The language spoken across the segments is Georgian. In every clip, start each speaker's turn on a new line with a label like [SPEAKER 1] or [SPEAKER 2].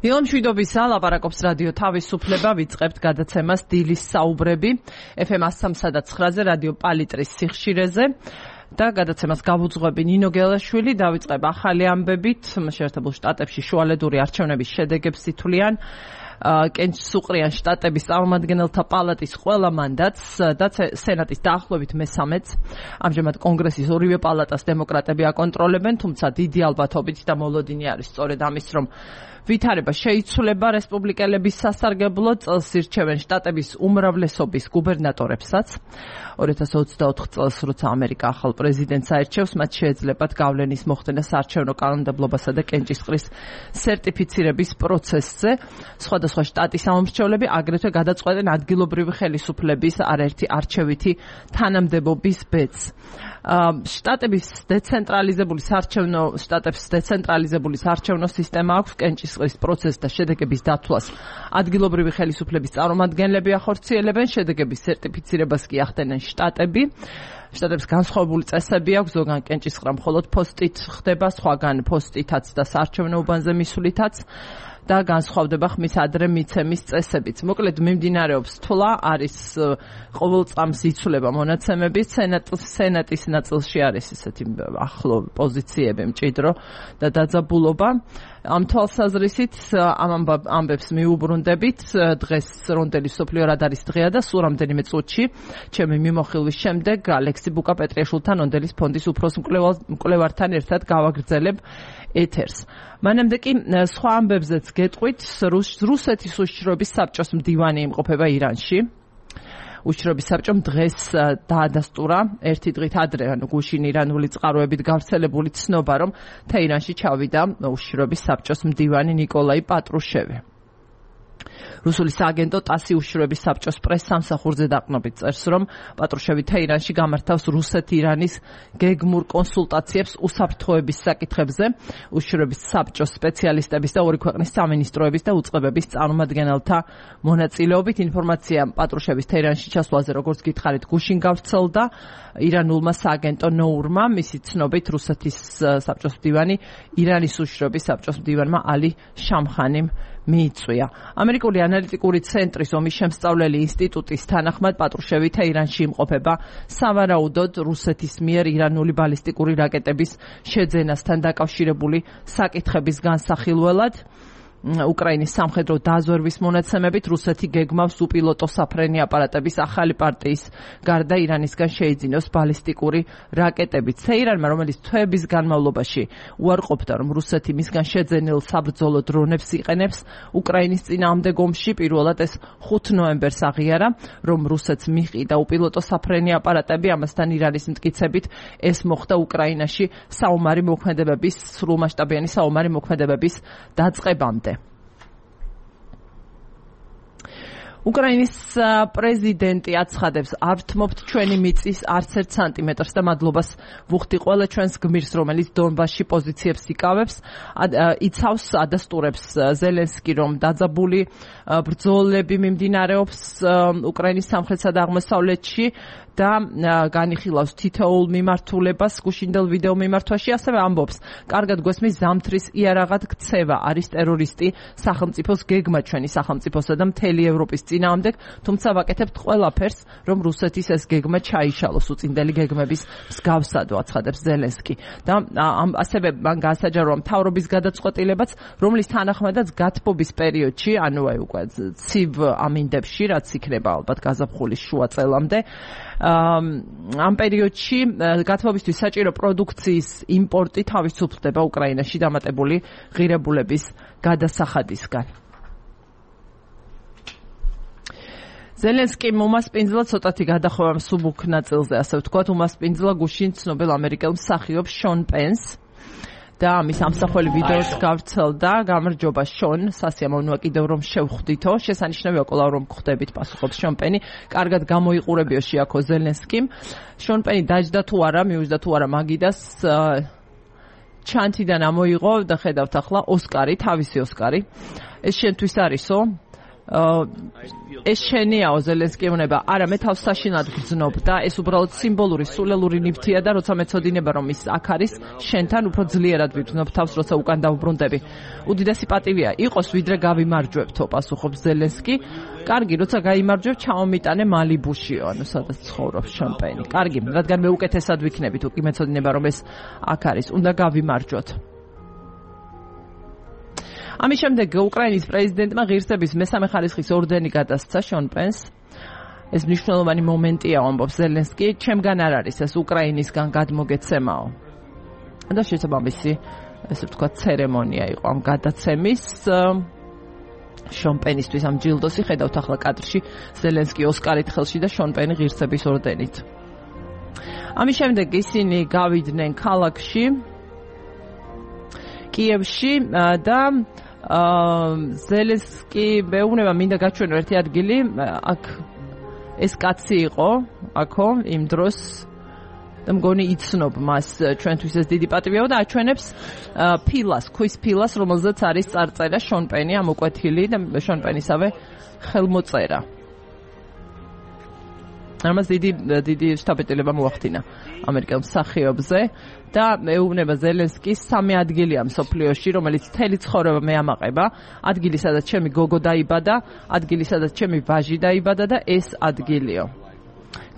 [SPEAKER 1] ილამშვიდობისა, ლაპარაკობს რადიო თავისუფლება, ვიწყებთ გადაცემას დილის საუბრები FM 103.9-ზე რადიო პალიტრის სიხშირეზე და გადაცემას გავუძღვები ნინო გელაშვილი. დავიწყებ ახალი ამბებით. შეერთებულ შტატებში შუალედური არჩევნების შედეგებს ითვლიან კენჭისყრიან შტატების წარმომადგენელთა პალატის ყველა მანდატს და სენატის დაახლოებით მესამეც. ამჟამად კონგრესის ორივე პალატას დემოკრატები აკონტროლებენ, თუმცა დიდი ალბათობით და მოლოდინი არის სწორედ ამის, რომ ვითარება შეიცვლება რესპუბლიკელების სასარგებლოდ, წელს ირჩევენ შტატების უმრავლესობის გუბერნატორებსაც. 2024 წელს, როცა ამერიკა ახალ პრეზიდენტს აირჩევს, მათ შეეძლებათ გავლენის მოხდენა საარჩევნო კანონმდებლობასა და კენჭისყრის სერტიფიცირების პროცესზე. სხვადასხვა შტატის სამომრჩევლები აგრეთვე გადაწყვეტენ ადგილობრივი ხელისუფლების არაერთი არჩევითი თანამდებობის ბედს. შტატების დეცენტრალიზებული საარჩევნო სისტემა აქვს კენჭისყრის პროცესს და შედეგების დათვლას ადგილობრივი ხელისუფლების წარმომადგენლები ახორციელებენ, შედეგების სერტიფიცირებას კი ახდენენ შტატები. შტატებს განსხვავებული წესები აქვს, ზოგან კენჭისყრა მხოლოდ პოსტით ხდება, სხვაგან პოსტითაც და საარჩევნო უბანზე მისვლითაც და განსხვავდება ხმის ადრე მიცემის წესებიც. მოკლედ მიმდინარეობს თვლა, არის ყოველ წამს იცვლება მონაცემები, სენატის ნაწილში არის ესეთი ახლო პოზიციები, მჭიდრო და დაძაბულობა. ამ თვალსაზრისით ამ ამბებს მიუბრუნდებით. დღეს რონდელი სოფლიო რადარის დღეა და სულ რამდენიმე წუთში ჩემი მიმოხილვის შემდეგ ალექსი ბუკა-პეტრიაშვილთან რონდელის ფონდის უფროს მკვლევართან ერთად გავაგრძელებ ეთერს. მანამდე კი სხვა ამბებზეც გეტყვით, რუსეთის უშიშროების საბჭოს მდივანი იმყოფება ირანში. უშიშროების საბჭომ დღეს დაადასტურა ერთი დღით ადრე, გუშინ ირანული წყაროებით გავრცელებული ცნობა, რომ თეირანში ჩავიდა უშიშროების საბჭოს მდივანი ნიკოლაი პატრუშევი. რუსული სააგენტო ტასი უშიშროების საბჭოს პრეს-სამსახურზე დაყრდნობით წერს, რომ პატრუშევი თეირანში გამართავს რუსეთ-ირანის გეგმურ კონსულტაციებს უსაფრთხოების საკითხებზე. უშიშროების საბჭოს სპეციალისტების და ორი ქვეყნის სამინისტროების და უწყებების წარმომადგენელთა მონაწილეობით. ინფორმაცია პატრუშევის თეირანში ჩასვლაზე, როგორც გითხარით, გუშინ გავრცელდა ირანულმა სააგენტო ნოურმა. მისი ცნობით, რუსეთის საბჭოს მდივანი ირანის უშიშროების საბჭოს მდივანმა ალი შამხანიმ მიიწვია. ამერიკული ანალიტიკური ცენტრის ომის შემსწავლელი ინსტიტუტის თანახმად პატრუშევი თეირანში იმყოფება სავარაუდოდ რუსეთის მიერ ირანული ბალისტიკური რაკეტების შეძენასთან დაკავშირებული საკითხების განსახილველად. უკრაინის სამხედრო დაზვერვის მონაცემებით რუსეთი გეგმავს უპილოტო საფრენი აპარატების ახალი პარტიის გარდა ირანისგან შეიძინოს ბალისტიკური რაკეტებიც. თეირანმა, რომელიც თვეების განმავლობაში უარყოფდა, რომ რუსეთი მისგან შეძენილ საბრძოლო დრონებს იყენებს უკრაინის წინააღმდეგ ომში, პირველად ეს 5 ნოემბერს აღიარა, რომ რუსეთს მიჰყიდა უპილოტო საფრენი აპარატები, ამასთან ირანის მტკიცებით ეს მოხდა უკრაინაში სრულმასშტაბიანი საომარი მოქმედებების დაწყებამდე. უკრაინის პრეზიდენტი აცხადებს, არ ვთმობთ ჩვენი მიწის არც ერთ სანტიმეტრს და მადლობას ვუხდი ყველა ჩვენს გმირს, რომელიც დონბასში პოზიციებს იკავებს. იცავს, ადასტურებს ზელენსკი, რომ დაძაბული ბრძოლები მიმდინარეობს უკრაინის სამხრეთსა და აღმოსავლეთში და განიხილავს თითოეულ მიმართულებას გუშინდელ ვიდეო მიმართვაში. ასევე ამბობს, კარგად გვესმის, ზამთრის იარაღად ქცევა არის ტერორისტი სახელმწიფოს გეგმა ჩვენი სახელმწიფოსა და მთელი ევროპის წინააღმდეგ, თუმცა ვაკეთებთ ყველაფერს, რომ რუსეთის ეს გეგმა ჩაიშალოს უწინდელი გეგმების მსგავსად, აცხადებს ზელენსკი. და ასევე მან გაასაჯარო მთავრობის გადაწყვეტილებაც, რომლის თანახმადაც გათბობის პერიოდში, ანუ უკვე ცივ ამინდებში, რაც იქნება ალბათ გაზაფხულის შუა წელამდე, ამ პერიოდში გათბობისთვის საჭირო პროდუქციის იმპორტი თავისუფლდება უკრაინაში დამატებული ღირებულების გადასახადისგან. ზელენსკიმ უმასპინძლა ცოტათი გადახვევა მსუბუქ ნაწილზე, ასე ვთქვათ, უმასპინძლა გუშინ ცნობილ ამერიკელ მსახიობს შონ პენს და ამის ამსახველი ვიდეოს გავრცელდა. გამარჯობა შონ, სასიამოვნოა კიდევ რომ შევხვდითო. შესანიშნავია კვლავ რომ გხვდებით, პასუხობს შონ პენი. კარგად გამოიყურებიო შეაქო ზელენსკიმ. შონ პენი დაჯდა თუ არა, მიუჯდა თუ არა მაგიდას ჩანთიდან ამოიღო და ხედავთ ახლა ოსკარი, თავისი ოსკარი. ეს შენთვის არისო? ეს შენიაო ზელენსკი ეუბნება, არა მე თავს საშინლად გრძნობ და ეს უბრალოდ სიმბოლური, სულელური ნივთია და როცა მეცოდინება რომ ის აქ არის, შენთან უფრო ძლიერად ვიგრძნობ თავს, როცა უკან დავუბრუნდები. უდიდესი პატივია იყოს, ვიდრე გავიმარჯვებთო, პასუხობს ზელენსკი. კარგი, როცა გაიმარჯვებ, ჩავმიტანე მალიბუშიო, ანუ სადაც ცხოვრობს შამპენი. კარგი, რადგან მე უკეთესად ვიქნებით, უკი მეცოდინება რომ ეს აქ არის, უნდა გავიმარჯვოთ. ამის შემდეგ უკრაინის პრეზიდენტმა ღირსების მესამე ხარისხის ორდენი გადასცა შონ პენს. ეს მნიშვნელოვანი მომენტია, ამბობს ზელენსკი, ჩემგან არ არის ეს უკრაინისგან გადმოგეცემაო. და შესაბამისი, ესე ვთქვათ, ცერემონია იყო ამ გადაცემის. შონ პენისთვის ამ ჯილდოსი ხედავთ ახლა კადრში, ზელენსკი ოსკარით ხელში და შონ პენი ღირსების ორდენით. ამის შემდეგ ისინი გავიდნენ ქალაქში, კიევში და ზელენსკი მეუბნება მინდა გაჩვენო ერთი ადგილი, აქ ეს კაცი იყო, აქო, იმ დროს და მგონი იცნობ მას, ჩვენთვის ეს დიდი პატივია და აჩვენებს ფილას, ქვის ფილას, რომელზეც არის წარწერა შონ პენი ამოკვეთილი და შონ პენისავე ხელმოწერა. ამას დიდი შტაბ-პატილება მოახდინა ამერიკელ მსახიობზე და მეუბნება ზელენსკის სამი ადგილია მსოფლიოში, რომელიც მთელი ცხოვრება მეამაყება, ადგილი სადაც ჩემი გოგო დაიბადა, ადგილი სადაც ჩემი ვაჟი დაიბადა და ეს ადგილიო.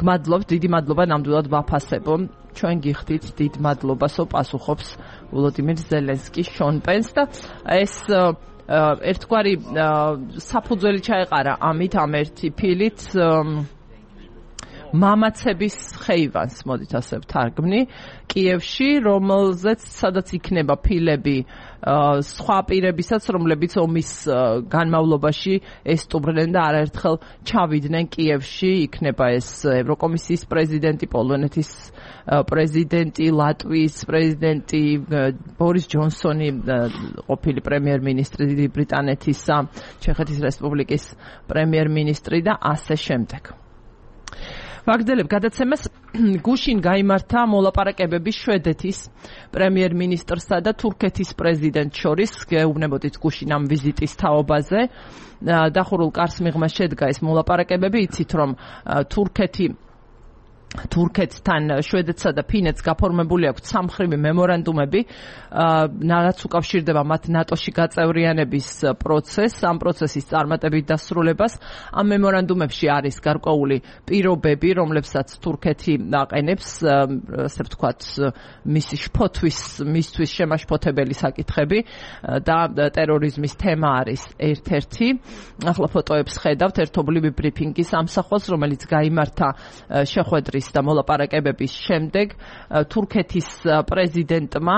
[SPEAKER 1] გმადლობთ, დიდი მადლობა, ნამდვილად ვაფასებო. ჩვენ გიხდით დიდ მადლობასო, პასუხობს ვლოდიმირ ზელენსკი შონ პენს და ეს ერთგვარი საფუძველი ჩაეყარა ამით, ამ ერთი ფილით მამაცების ხეივანს, მოდით ასე ვთარგმნი, კიევში, რომელზეც სადაც იქნება ფილები სხვა პირებისაც, რომლებიც ომის განმავლობაში ესტუმრნენ და არაერთხელ ჩავიდნენ კიევში, იქნება ეს ევროკომისიის პრეზიდენტი, პოლონეთის პრეზიდენტი, ლატვიის პრეზიდენტი, ბორის ჯონსონი, ყოფილი პრემიერ-მინისტრი ბრიტანეთისა, ჩეხეთის რესპუბლიკის პრემიერ-მინისტრი და ასე შემდეგ. ვაგრძელებ გადაცემას. გუშინ გაიმართა მოლაპარაკებები შვედეთის პრემიერ-მინისტრსა და თურქეთის პრეზიდენტს შორის. გეუბნებოდით გუშინ ამ ვიზიტის თაობაზე. დახურულ კარს მიღმა შედგა ეს მოლაპარაკებები. იცით რომ თურქეთთან შვედეთსა და ფინეთს გაფორმებული აქვს სამხრივი მემორანდუმები, რაც უკავშირდება მათ ნატოში გაწევრიანების პროცესს, ამ პროცესის წარმატებით დასრულებას. ამ მემორანდუმებში არის გარკვეული პირობები, რომლებსაც თურქეთი აყენებს, ასე ვთქვათ, მისი შფოთვის, მისთვის შემაშფოთებელი საკითხები და ტერორიზმის თემა არის ერთ-ერთი. ახლა ფოტოებს ხედავთ ერთობლივი ბრიფინგის ამსახვას, რომელიც გაიმართა შეხვედრის და მოლაპარაკებების შემდეგ თურქეთის პრეზიდენტმა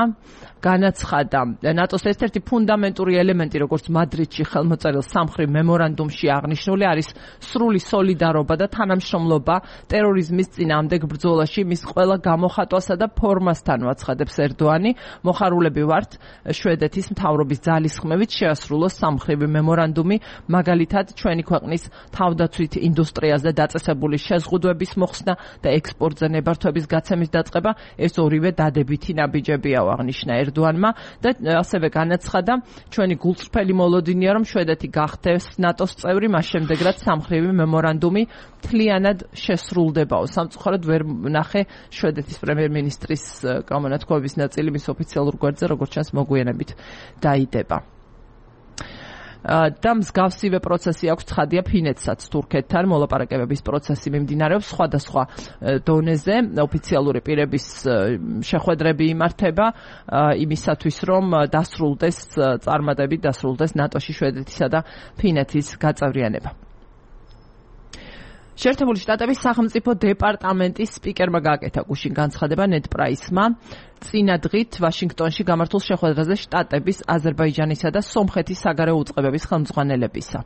[SPEAKER 1] განაცხადა ნატოს ერთ-ერთი ფუნდამენტური ელემენტი, როგორც მადრიდში ხელმოწერილ სამხრივ მემორანდუმში აღნიშნული, არის სრული სოლიდარობა და თანამშრომლობა ტერორიზმის წინააღმდეგ ბრძოლაში მის ყველა გამოხატვასა და ფორმასთან, აცხადებს ერდოანი. მოხარულები ვართ შვედეთის მთავრობის ძალისხმევით შეასრულოს სამხრივი მემორანდუმი, მაგალითად ჩვენი ქვეყნის თავდაცვით ინდუსტრიაზე დაწესებული შეზღუდვების მოხსნა და ექსპორტზე ნებართვების გაცემის დაწყება, ეს ორივე დადებითი ნაბიჯებია, აღნიშნა ერდოანმა და ასევე განაცხადა, ჩვენი გულწრფელი მოლოდინია, რომ შვედეთი გახდეს ნატოს წევრი, მას შემდეგ რაც სამხრივი მემორანდუმი მთლიანად შესრულდებაო. სამწუხაროდ ვერ ნახე შვედეთის პრემიერ-მინისტრის გამონათქვამების ნაწილი მის ოფიციალურ გვერდზე, როგორც ჩანს, მოგვიანებით დაიდება. და მსგავსივე პროცესი აქვს ცხადია ფინეთსაც თურქეთთან. მოლაპარაკებების პროცესი მიმდინარეობს სხვადასხვა დონეზე, ოფიციალური პირების შეხვედრები იმართება იმისათვის, რომ დასრულდეს წარმატებით დასრულდეს ნატოში შვედეთისა და ფინეთის გაწევრიანება. შეერთებული შტატების სახელმწიფო დეპარტამენტის სპიკერმა გააკეთა გუშინ განცხადება ნედ პრაისმა წინა დღით ვაშინგტონში გამართულ შეხვედრაზე შტატების, აზერბაიჯანისა და სომხეთის საგარეო უწყებების ხელმძღვანელებისა.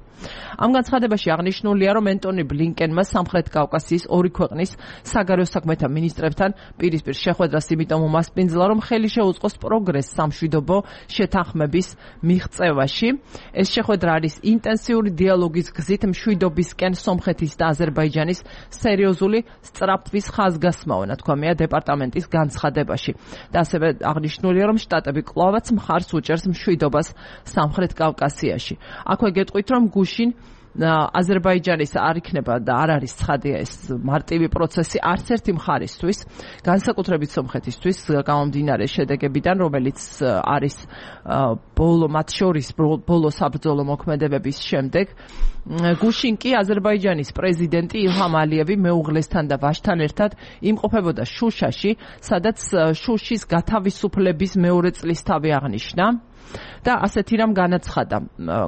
[SPEAKER 1] ამ განცხადებაში აღნიშნულია, რომ ენტონი ბლინკენმა სამხრეთ კავკასიის ორი ქვეყნის საგარეო საქმეთა მინისტრებთან პირისპირ შეხვედრას იმიტომ უმასპინძლა, რომ ხელი შეუწყოს პროგრესს სამშვიდობო შეთანხმების მიღწევაში. ეს შეხვედრა არის ინტენსიური დიალოგის გზით მშვიდობისკენ სომხეთის და აზერბაიჯანის სერიოზული სწრაფვის ხაზგასმაო, ნათქვამია დეპარტამენტის განცხადებაში. და ასევე აღნიშნულია, რომ შტატები კვლავაც მხარს უჭერს მშვიდობას სამხრეთ კავკასიაში. აქვე გეტყვით, რომ გუშინ აზერბაიჯანის არ იქნება და არ არის ცხადია ეს მარტივი პროცესი არც ერთი მხარისთვის, განსაკუთრებით სომხეთისთვის, გამომდინარე შედეგებიდან, რომელიც არის მათ შორის ბოლო საბრძოლო მოქმედებების შემდეგ. გუშინ კი აზერბაიჯანის პრეზიდენტი ილჰამ ალიევი მეუღლესთან და ვაჟთან ერთად იმყოფებოდა შუშაში, სადაც შუშის გათავისუფლების მეორე წლისთავი აღნიშნა. და ასეთი რამ განაცხადა,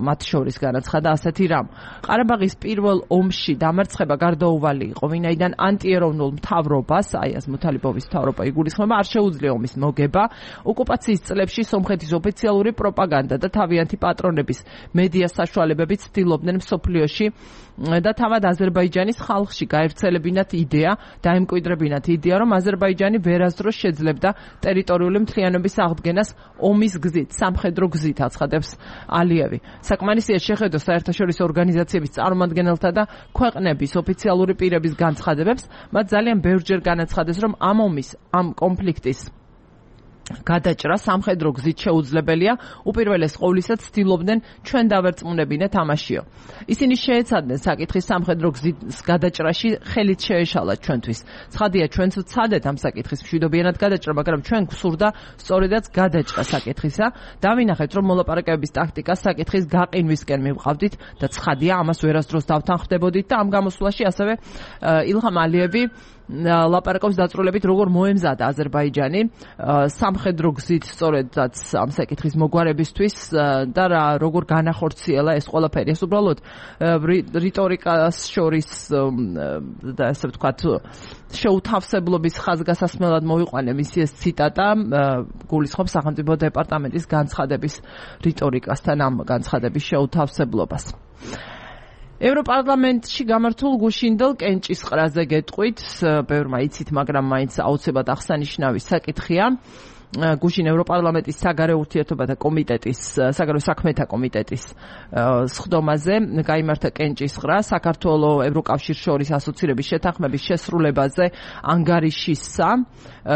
[SPEAKER 1] მათ შორის განაცხადა ასეთი რამ. ყარაბაღის პირველ ომში დამარცხება გარდაუვალი იყო, ვინაიდან ანტიეროვნულ მთავრობას, აი ეს მუთალიბოვის მთავრობა იგულისხმება, არ შეუძლია ომის მოგება. ოკუპაციის წლებში სომხეთის ოფიციალური პროპაგანდა და თავიანთი პატრონების მედია საშუალებებით ცდილობდნენ მსოფლიოში და თავად აზერბაიჯანის ხალხში გაერთიანებინათ იდეა, დაემკვიდრებინათ იდეა, რომ აზერბაიჯანი ვერასდროს შეძლებდა ტერიტორიული მთლიანობის აღდგენას ომის გზით, სამხედრო გზით, აცხადებს ალიევი. საკმარისია შეხედოს საერთაშორისო ორგანიზაციების წარმომადგენელთა და ქვეყნების ოფიციალური პირების განცხადებებს, მათ ძალიან ბევრჯერ განაცხადეს, რომ ამ კონფლიქტის გადაჭრა სამხედრო გზით შეუძლებელია, უპირველეს ყოვლისა ცდილობდნენ ჩვენ დავერწმუნებინეთ ამაშიო. ისინი შეეცადნენ საკითხის სამხედრო გზის გადაჭრაში ხელით შეეშალათ ჩვენთვის. ცხადია, ჩვენც ვცადეთ ამ საკითხის მშვიდობიანად გადაჭრა, მაგრამ ჩვენ გვსურდა სწორედაც გადაჭრა საკითხისა. დავინახეთ, რომ მოლაპარაკებების ტაქტიკას საკითხის გაყინვისკენ მივყავდით და ცხადია, ამას ვერასდროს დავთანხმდებოდით და ამ გამოსვლაში ასევე ილჰამ ალიევი ლაპარაკობს დაწვრილებით, როგორ მოემზადა აზერბაიჯანი სამხედრო გზით სწორედაც ამ საკითხის მოგვარებისთვის და როგორ განახორციელა ეს ყველაფერი. ეს უბრალოდ რიტორიკას შორის და ასე ვთქვათ შეუთავსებლობის ხაზგასასმელად მოვიყვანე მისი ეს ციტატა, გულისხმობს სახელმწიფო დეპარტამენტის განცხადების რიტორიკასთან ამ განცხადების შეუთავსებლობას. ევროპარლამენტში გამართულ გუშინდელ კენჭისყრაზე გეტყვით, ბევრმა იცით, მაგრამ მაინც აუცილებლად აღსანიშნავი საკითხია. გუშინ ევროპარლამენტის საგარეო ურთიერთობათა კომიტეტის, საგარეო საქმეთა კომიტეტის სხდომაზე გაიმართა კენჭისყრა საქართველოს ევროკავშირის შორის ასოცირების შეთანხმების შესრულებაზე ანგარიშისა,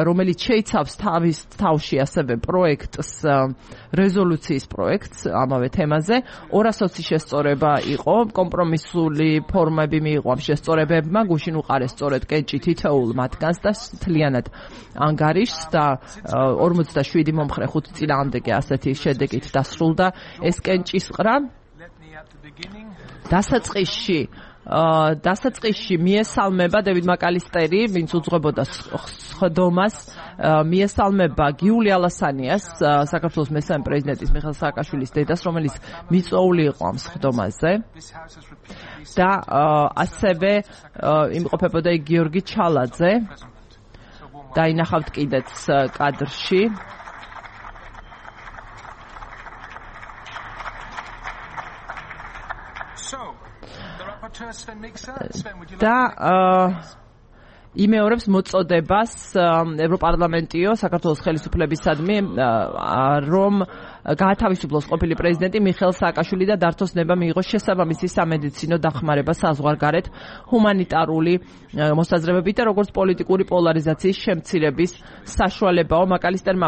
[SPEAKER 1] რომელიც შეიცავს თავის თავში ასევე პროექტს, რეზოლუციის პროექტს ამავე თემაზე. 220 შესწორება იყო, კომპრომისული ფორმები მიიღო ამ შესწორებებმა, გუშინ უყარეს სწორედ კენჭი თითოეულ მათგანს და მთლიანად ანგარიშს და 47 მომხრე 5 წინააღმდეგი ასეთი შედეგით დასრულდა ეს კენჭისყრა. დასაწყისში მიესალმება დევიდ მაკალისტერი, ვინც უძღვებოდა სხდომას, მიესალმება გიული ალასანიას, საქართველოს მესამე პრეზიდენტის მიხეილ სააკაშვილის დედას, რომელიც მიწვეული იყო ამ სხდომაზე და ასევე იმყოფებოდა გიორგი ჩალაძე. დაინახავთ კიდეც კადრში. და იმეორებს მოწოდებას ევროპარლამენტიო საქართველოს ხელისუფლებისადმი, რომ გაათავისუფლოს ყოფილი პრეზიდენტი მიხეილ სააკაშვილი და დართოს ნება მიიღოს შესაბამისი სამედიცინო დახმარება საზღვარგარეთ ჰუმანიტარული მოსაზრებებით და როგორც პოლიტიკური პოლარიზაციის შემცირების საშუალებაო. მაკალისტერმა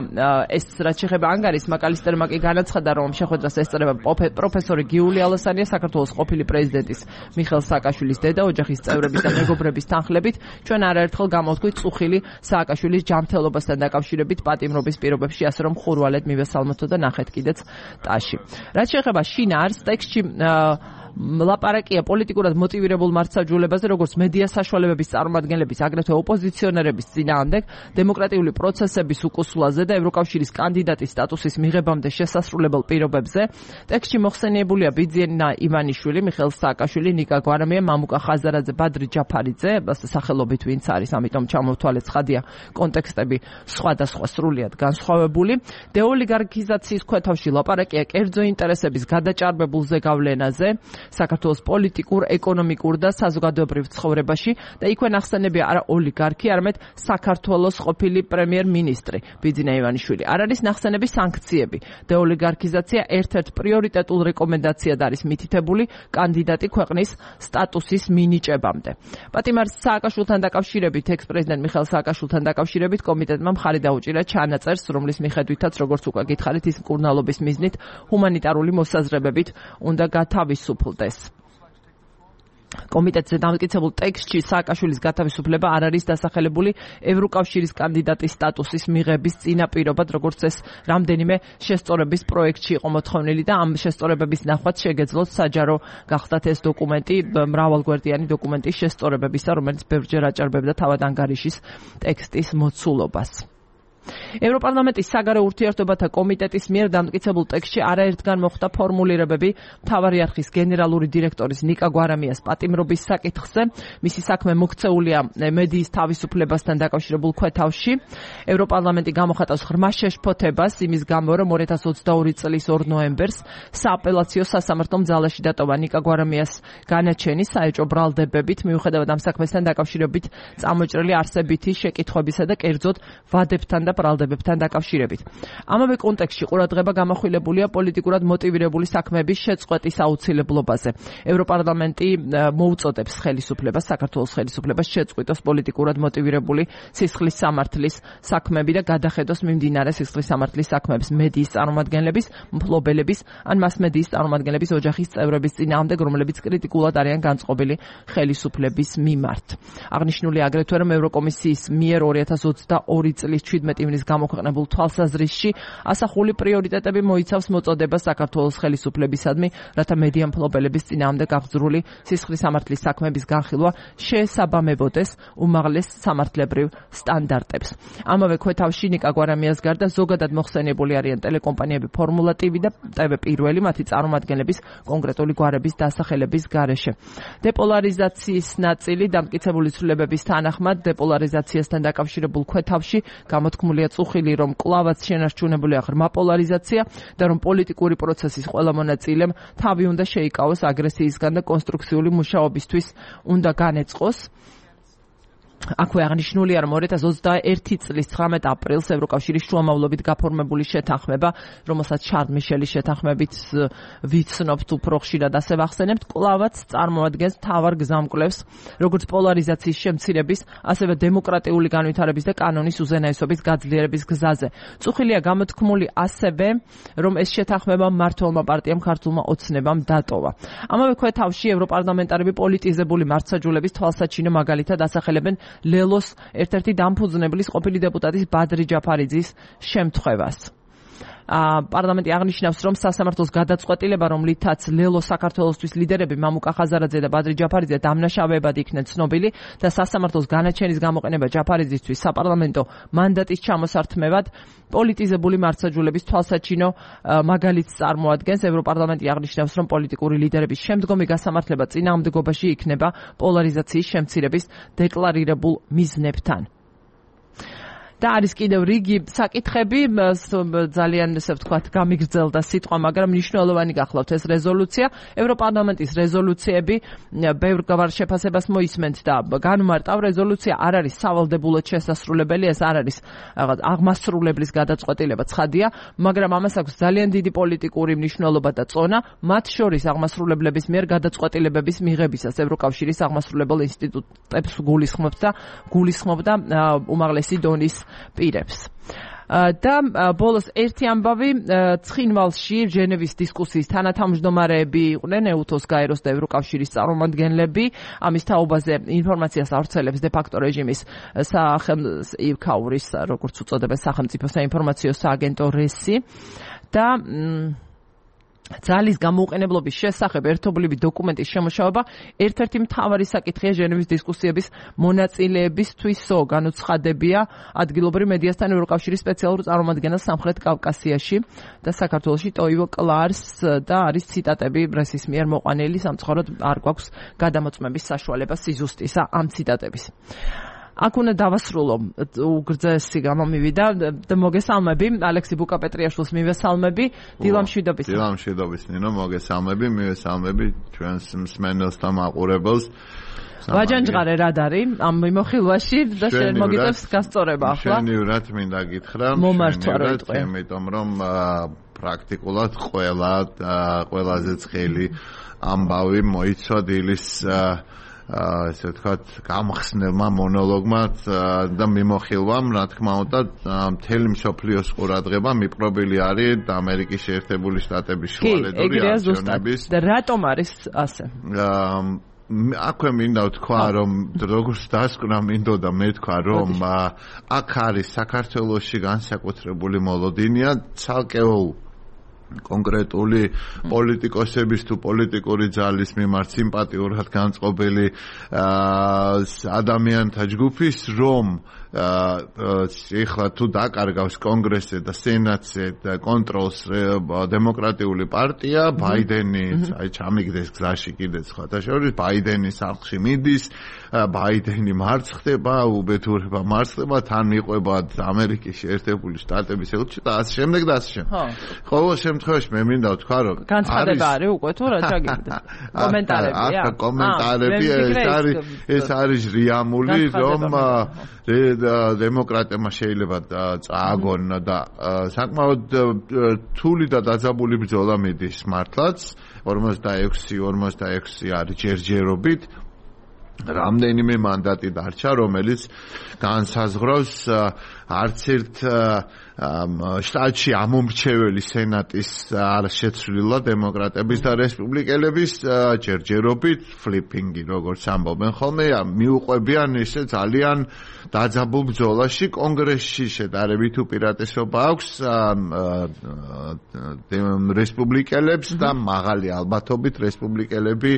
[SPEAKER 1] ეს რაც შეეხება ანგარიშს, მაკალისტერმა კი განაცხადა, რომ შეხვედრას ესწრება პროფესორი გიული ალასანია, საქართველოს ყოფილი პრეზიდენტის მიხეილ სააკაშვილის დედა, ოჯახის წევრების და მეგობრების თანხლებით. ჩვენ არაერთხელ გამოვთქვით წუხილი სააკაშვილის ჯანმრთელობასთან დაკავშირებით პატიმრობის პირობებში, ასე რომ ხურვალედ მივესალმოთო და ნახეთ კიდეც ტაში. რაც შეეხება შინაარსს, ტექსტში ლაპარაკია პოლიტიკურად მოტივირებულ მართლმსაჯულებაზე, როგორც მედია საშუალებების წარმომადგენლების, აგრეთვე ოპოზიციონერების წინააღმდეგ, დემოკრატიული პროცესების უკუსვლაზე და ევროკავშირის კანდიდატის სტატუსის მიღებამდე შესასრულებელ პირობებზე. ტექსტში მოხსენიებულია ბიძინა ივანიშვილი, მიხეილ სააკაშვილი, ნიკა გვარამია, მამუკა ხაზარაძე, ბადრი ჯაფარიძე, სახელობით ვინც არის, ამიტომ ჩამოვთვალეთ ცხადია კონტექსტები სხვადასხვა სრულიად განსხვავებული. დეოლიგარქიზაციის ქვეთავში ლაპარაკია კერძო ინტერესების გადაჭარბებულ ზეგავლენაზე საქართველოს პოლიტიკურ, ეკონომიკურ და საზოგადოებრივ ცხოვრებაში და იქვე ნახსენებია არა ოლიგარქი, არამედ საქართველოს ყოფილი პრემიერ-მინისტრი ბიძინა ივანიშვილი. არ არის ნახსენები სანქციები. დეოლიგარქიზაცია ერთ-ერთ პრიორიტეტულ რეკომენდაციად არის მითითებული კანდიდატი ქვეყნის სტატუსის მინიჭებამდე. პატიმარ სააკაშვილთან დაკავშირებით, ექს-პრეზიდენტ მიხეილ სააკაშვილთან დაკავშირებით კომიტეტმა მხარი დაუჭირა ჩანაწერს, რომლის მიხედვითაც, როგორც უკვე გითხარით, ის მკურნალობის მიზნით ჰუმანიტარული მოსაზრებებით უნდა გათავისუფლდეს. კომიტეტზე დამტკიცებულ ტექსტში სააკაშვილის გათავისუფლება არ არის დასახელებული ევროკავშირის კანდიდატის სტატუსის მიღების წინაპირობად, როგორც ეს რამდენიმე შესწორების პროექტში იყო მოთხოვნილი და ამ შესწორებების ნახვაც შეგეძლოს საჯარო გახდათ ეს დოკუმენტი მრავალგვერდიანი დოკუმენტის შესწორებებისა, რომელიც ბევრჯერ აჭარბებდა თავად ანგარიშის ტექსტის მოცულობას. ევროპარლამენტის საგარეო ურთიერთობათა კომიტეტის მიერ დამტკიცებულ ტექსტში არაერთგან მოხდა ფორმულირებები მთავარი არხის გენერალური დირექტორის ნიკა გვარამიას პატიმრობის საკითხზე. მისი საქმე მოქცეულია მედიის თავისუფლებასთან დაკავშირებულ ქვეთავში. ევროპარლამენტი გამოხატავს ღრმა შეშფოთებას იმის გამო, რომ 2022 წლის 2 ნოემბერს სააპელაციო სასამართლომ ძალაში დატოვა ნიკა გვარამიას განაჩენი საეჭვო ბრალდებებით, მიუხედავად ამ საქმესთან დაკავშირებით წამოჭრილი არსებითი შეკითხვებისა და კერძოდ ვადებთან და ბრალდებებთან დაკავშირებით. ამავე კონტექსტში ყურადღება გამახვილებულია პოლიტიკურად მოტივირებული საქმეების შეწყვეტის აუცილებლობაზე. ევროპარლამენტი მოუწოდებს ხელისუფლებას, საქართველოს ხელისუფლებას შეწყვიტოს პოლიტიკურად მოტივირებული სისხლის სამართლის საქმეები და გადახედოს მიმდინარე სისხლის სამართლის საქმეებს მედიის წარმომადგენლების, მფლობელების ან მასმედიის წარმომადგენლების ოჯახის წევრების წინააღმდეგ, რომლებიც კრიტიკულად არიან განწყობილი ხელისუფლების მიმართ. აღნიშნული აგრეთვე, რომ ევროკომისიის მიერ 2022 წლის 17 ივნის გამოქვეყნებულ თვალსაზრისში ასახული პრიორიტეტები მოიცავს მოწოდებას საქართველოს ხელისუფლებისადმი, რათა მედია მფლობელების წინააღმდეგ გახსრული სისხლის სამართლის საქმეების განხილვა შეესაბამებოდეს უმაღლეს სამართლებრივ სტანდარტებს. ამავე ქვეთავში ნიკა გვარამიას გარდა ზოგადად მოხსენიებული არიან ტელეკომპანიები ფორმულა TV და TV პირველი მათი წარმომადგენლების კონკრეტული გვარების დასახელების გარეშე. დეპოლარიზაციის ნაწილი დამტკიცებული ცვლილებების თანახმად დეპოლარიზაციასთან დაკავშირებულ ქვეთავში გამოთქმულია წუხილი, რომ კვლავაც შენარჩუნებულია ღრმა პოლარიზაცია და რომ პოლიტიკური პროცესის ყველა მონაწილემ თავი უნდა შეიკავოს აგრესიისგან და კონსტრუქციული მუშაობისთვის უნდა განეწყოს. აქვე აღნიშნულია, რომ 2021 წლის 19 აპრილს ევროკავშირის შუამავლობით გაფორმებული შეთანხმება, რომელსაც შარლ მიშელის შეთანხმებით ვიცნობთ უფრო ხშირად ასე ვახსენებთ, კვლავაც წარმოადგენს მთავარ გზამკვლევს, როგორც პოლარიზაციის შემცირების, ასევე დემოკრატიული განვითარების და კანონის უზენაესობის გაძლიერების გზაზე. წუხილია გამოთქმული ასევე, რომ ეს შეთანხმება მმართველმა პარტიამ ქართულმა ოცნებამ დატოვა. ამავე ქვეთავში ევროპარლამენტარები პოლიტიზებული მართლმსაჯულების თვალსაჩინო მაგალითად ასახელებენ ლელოს ერთ-ერთი დამფუძნებლის ყოფილი დეპუტატის ბადრი ჯაფარიძის შემთხვევას. პარლამენტი აღნიშნავს, რომ სასამართლოს გადაწყვეტილება, რომლითაც ლელო საქართველოსთვის ლიდერები მამუკა ხაზარაძე და ბადრი ჯაფარიძე დამნაშავეებად იქნენ ცნობილი და სასამართლოს განაჩენის გამოყენება ჯაფარიძისთვის საპარლამენტო მანდატის ჩამოსართმევად პოლიტიზებული მართლმსაჯულების თვალსაჩინო მაგალითს წარმოადგენს. ევროპარლამენტი აღნიშნავს, რომ პოლიტიკური ლიდერების შემდგომი გასამართლება წინააღმდეგობაში იქნება პოლარიზაციის შემცირების დეკლარირებულ მიზნებთან. და არის კიდევ რიგი საკითხები, ძალიან ესე ვთქვათ, გამიგრძელდა სიტყვა, მაგრამ მნიშვნელოვანი გახლავთ ეს რეზოლუცია. ევროპარლამენტის რეზოლუციები ბევრ შეფასებას მოისმენთ და განმარტავ, რეზოლუცია არ არის სავალდებულოდ შესასრულებელი, ეს არ არის რაღაც აღმასრულებლის გადაწყვეტილება, ცხადია, მაგრამ ამას აქვს ძალიან დიდი პოლიტიკური მნიშვნელობა და წონა, მათ შორის აღმასრულებლების მიერ გადაწყვეტილებების მიღებისას ევროკავშირის აღმასრულებელ ინსტიტუტებს გულისხმობდა უმაღლესი დონის პირებს. და ბოლოს ერთი ამბავი, ცხინვალში ჟენევის დისკუსიის თანათავმჯდომარეები იყვნენ ეუთოს, გაეროს და ევროკავშირის წარმომადგენლები. ამის თაობაზე ინფორმაციას ავრცელებს დე-ფაქტო რეჟიმის იქაურის, როგორც უწოდებენ, სახელმწიფო საინფორმაციო სააგენტო რესი და ძალის გამოუყენებლობის შესახებ ერთობლივი დოკუმენტის შემუშავება ერთ-ერთი მთავარი საკითხია ჟენევის დისკუსიების მონაწილეებისთვისო. განუცხადებია ადგილობრივ მედიასთან ევროკავშირის სპეციალურ წარმომადგენელს სამხრეთ კავკასიაში და საქართველოში ტოივო კლარს და არის ციტატები პრესის მიერ მოყვანილი, სამწუხაროდ არ გვაქვს გადამოწმების საშუალება სიზუსტისა ამ ციტატების. აქ უნდა დავასრულო, უგრძესი გამომივიდა და მოგესალმები, ალექსი ბუკაპეტრიაშვილს მივესალმები, დილამშვიდობის.
[SPEAKER 2] დილამშვიდობის, ნინო, მოგესალმები, მივესალმები ჩვენს მსმენელს და მაყურებელს.
[SPEAKER 1] ვაჯანჯღარე რად არის ამ მიმოხილვაში და შენ მოგიწევს გასწორება ახლა.
[SPEAKER 2] შენივრად მინდა გითხრა, იმიტომ რომ პრაქტიკულად ყველაზე ცხელი ამბავი მოიცვა დილის ესე ვთქვათ, გამხსნელმა მონოლოგმა და მიმოხილვამ, რა თქმა უნდა, მთელი მსოფლიოს ყურადღება მიპყრობილი არის ამერიკის შეერთებული შტატების შუალედური არჩევნების.
[SPEAKER 1] და რატომ არის ასე?
[SPEAKER 2] აქვე მინდა ვთქვა, რომ როგორც დასკვნა მინდოდა მე თქვა, რომ აქ არის საქართველოში განსაკუთრებული მოლოდინია ცალკეულ კონკრეტული პოლიტიკოსების თუ პოლიტიკური ძალის მიმართ სიმპათიურად განწყობილი ადამიანთა ჯგუფის, რომ ეხლა თუ დაკარგავს კონგრესზე და სენატზე კონტროლს დემოკრატიული პარტია, ბაიდენი აი ჩამიგდეს გზაში კიდე სხვათა შორის, ბაიდენის სახლში მიდის, ბაიდენი მარცხდება, უბედურება მარცხდება, თან მიყვება ამერიკის შეერთებული შტატების ელჩი და ასე შემდეგ და ასე შემდეგ. ყოველ შემთხვევაში მე მინდა ვთქვა, რომ
[SPEAKER 1] განცხადება არის უკვე თუ რა ჩაგიგდა? კომენტარებია?
[SPEAKER 2] კომენტარები ეს არის რიამული, რომ დემოკრატებმა შეიძლება წააგონ და საკმაოდ რთული და დაძაბული ბრძოლა მიდის მართლაც 46 არის ჯერჯერობით რამდენიმე მანდატი დარჩა, რომელიც განსაზღვრავს არც ერთ შტატში ამომრჩეველი სენატის არ შეცვლილა დემოკრატების და რესპუბლიკელების ჯერჯერობით ფლიპინგი, როგორც ამბობენ ხოლმე, მიუყვებიან ისე ძალიან დაძაბულ ბრძოლაში. კონგრესში შედარებით უპირატესობა აქვს რესპუბლიკელებს და მაღალი ალბათობით რესპუბლიკელები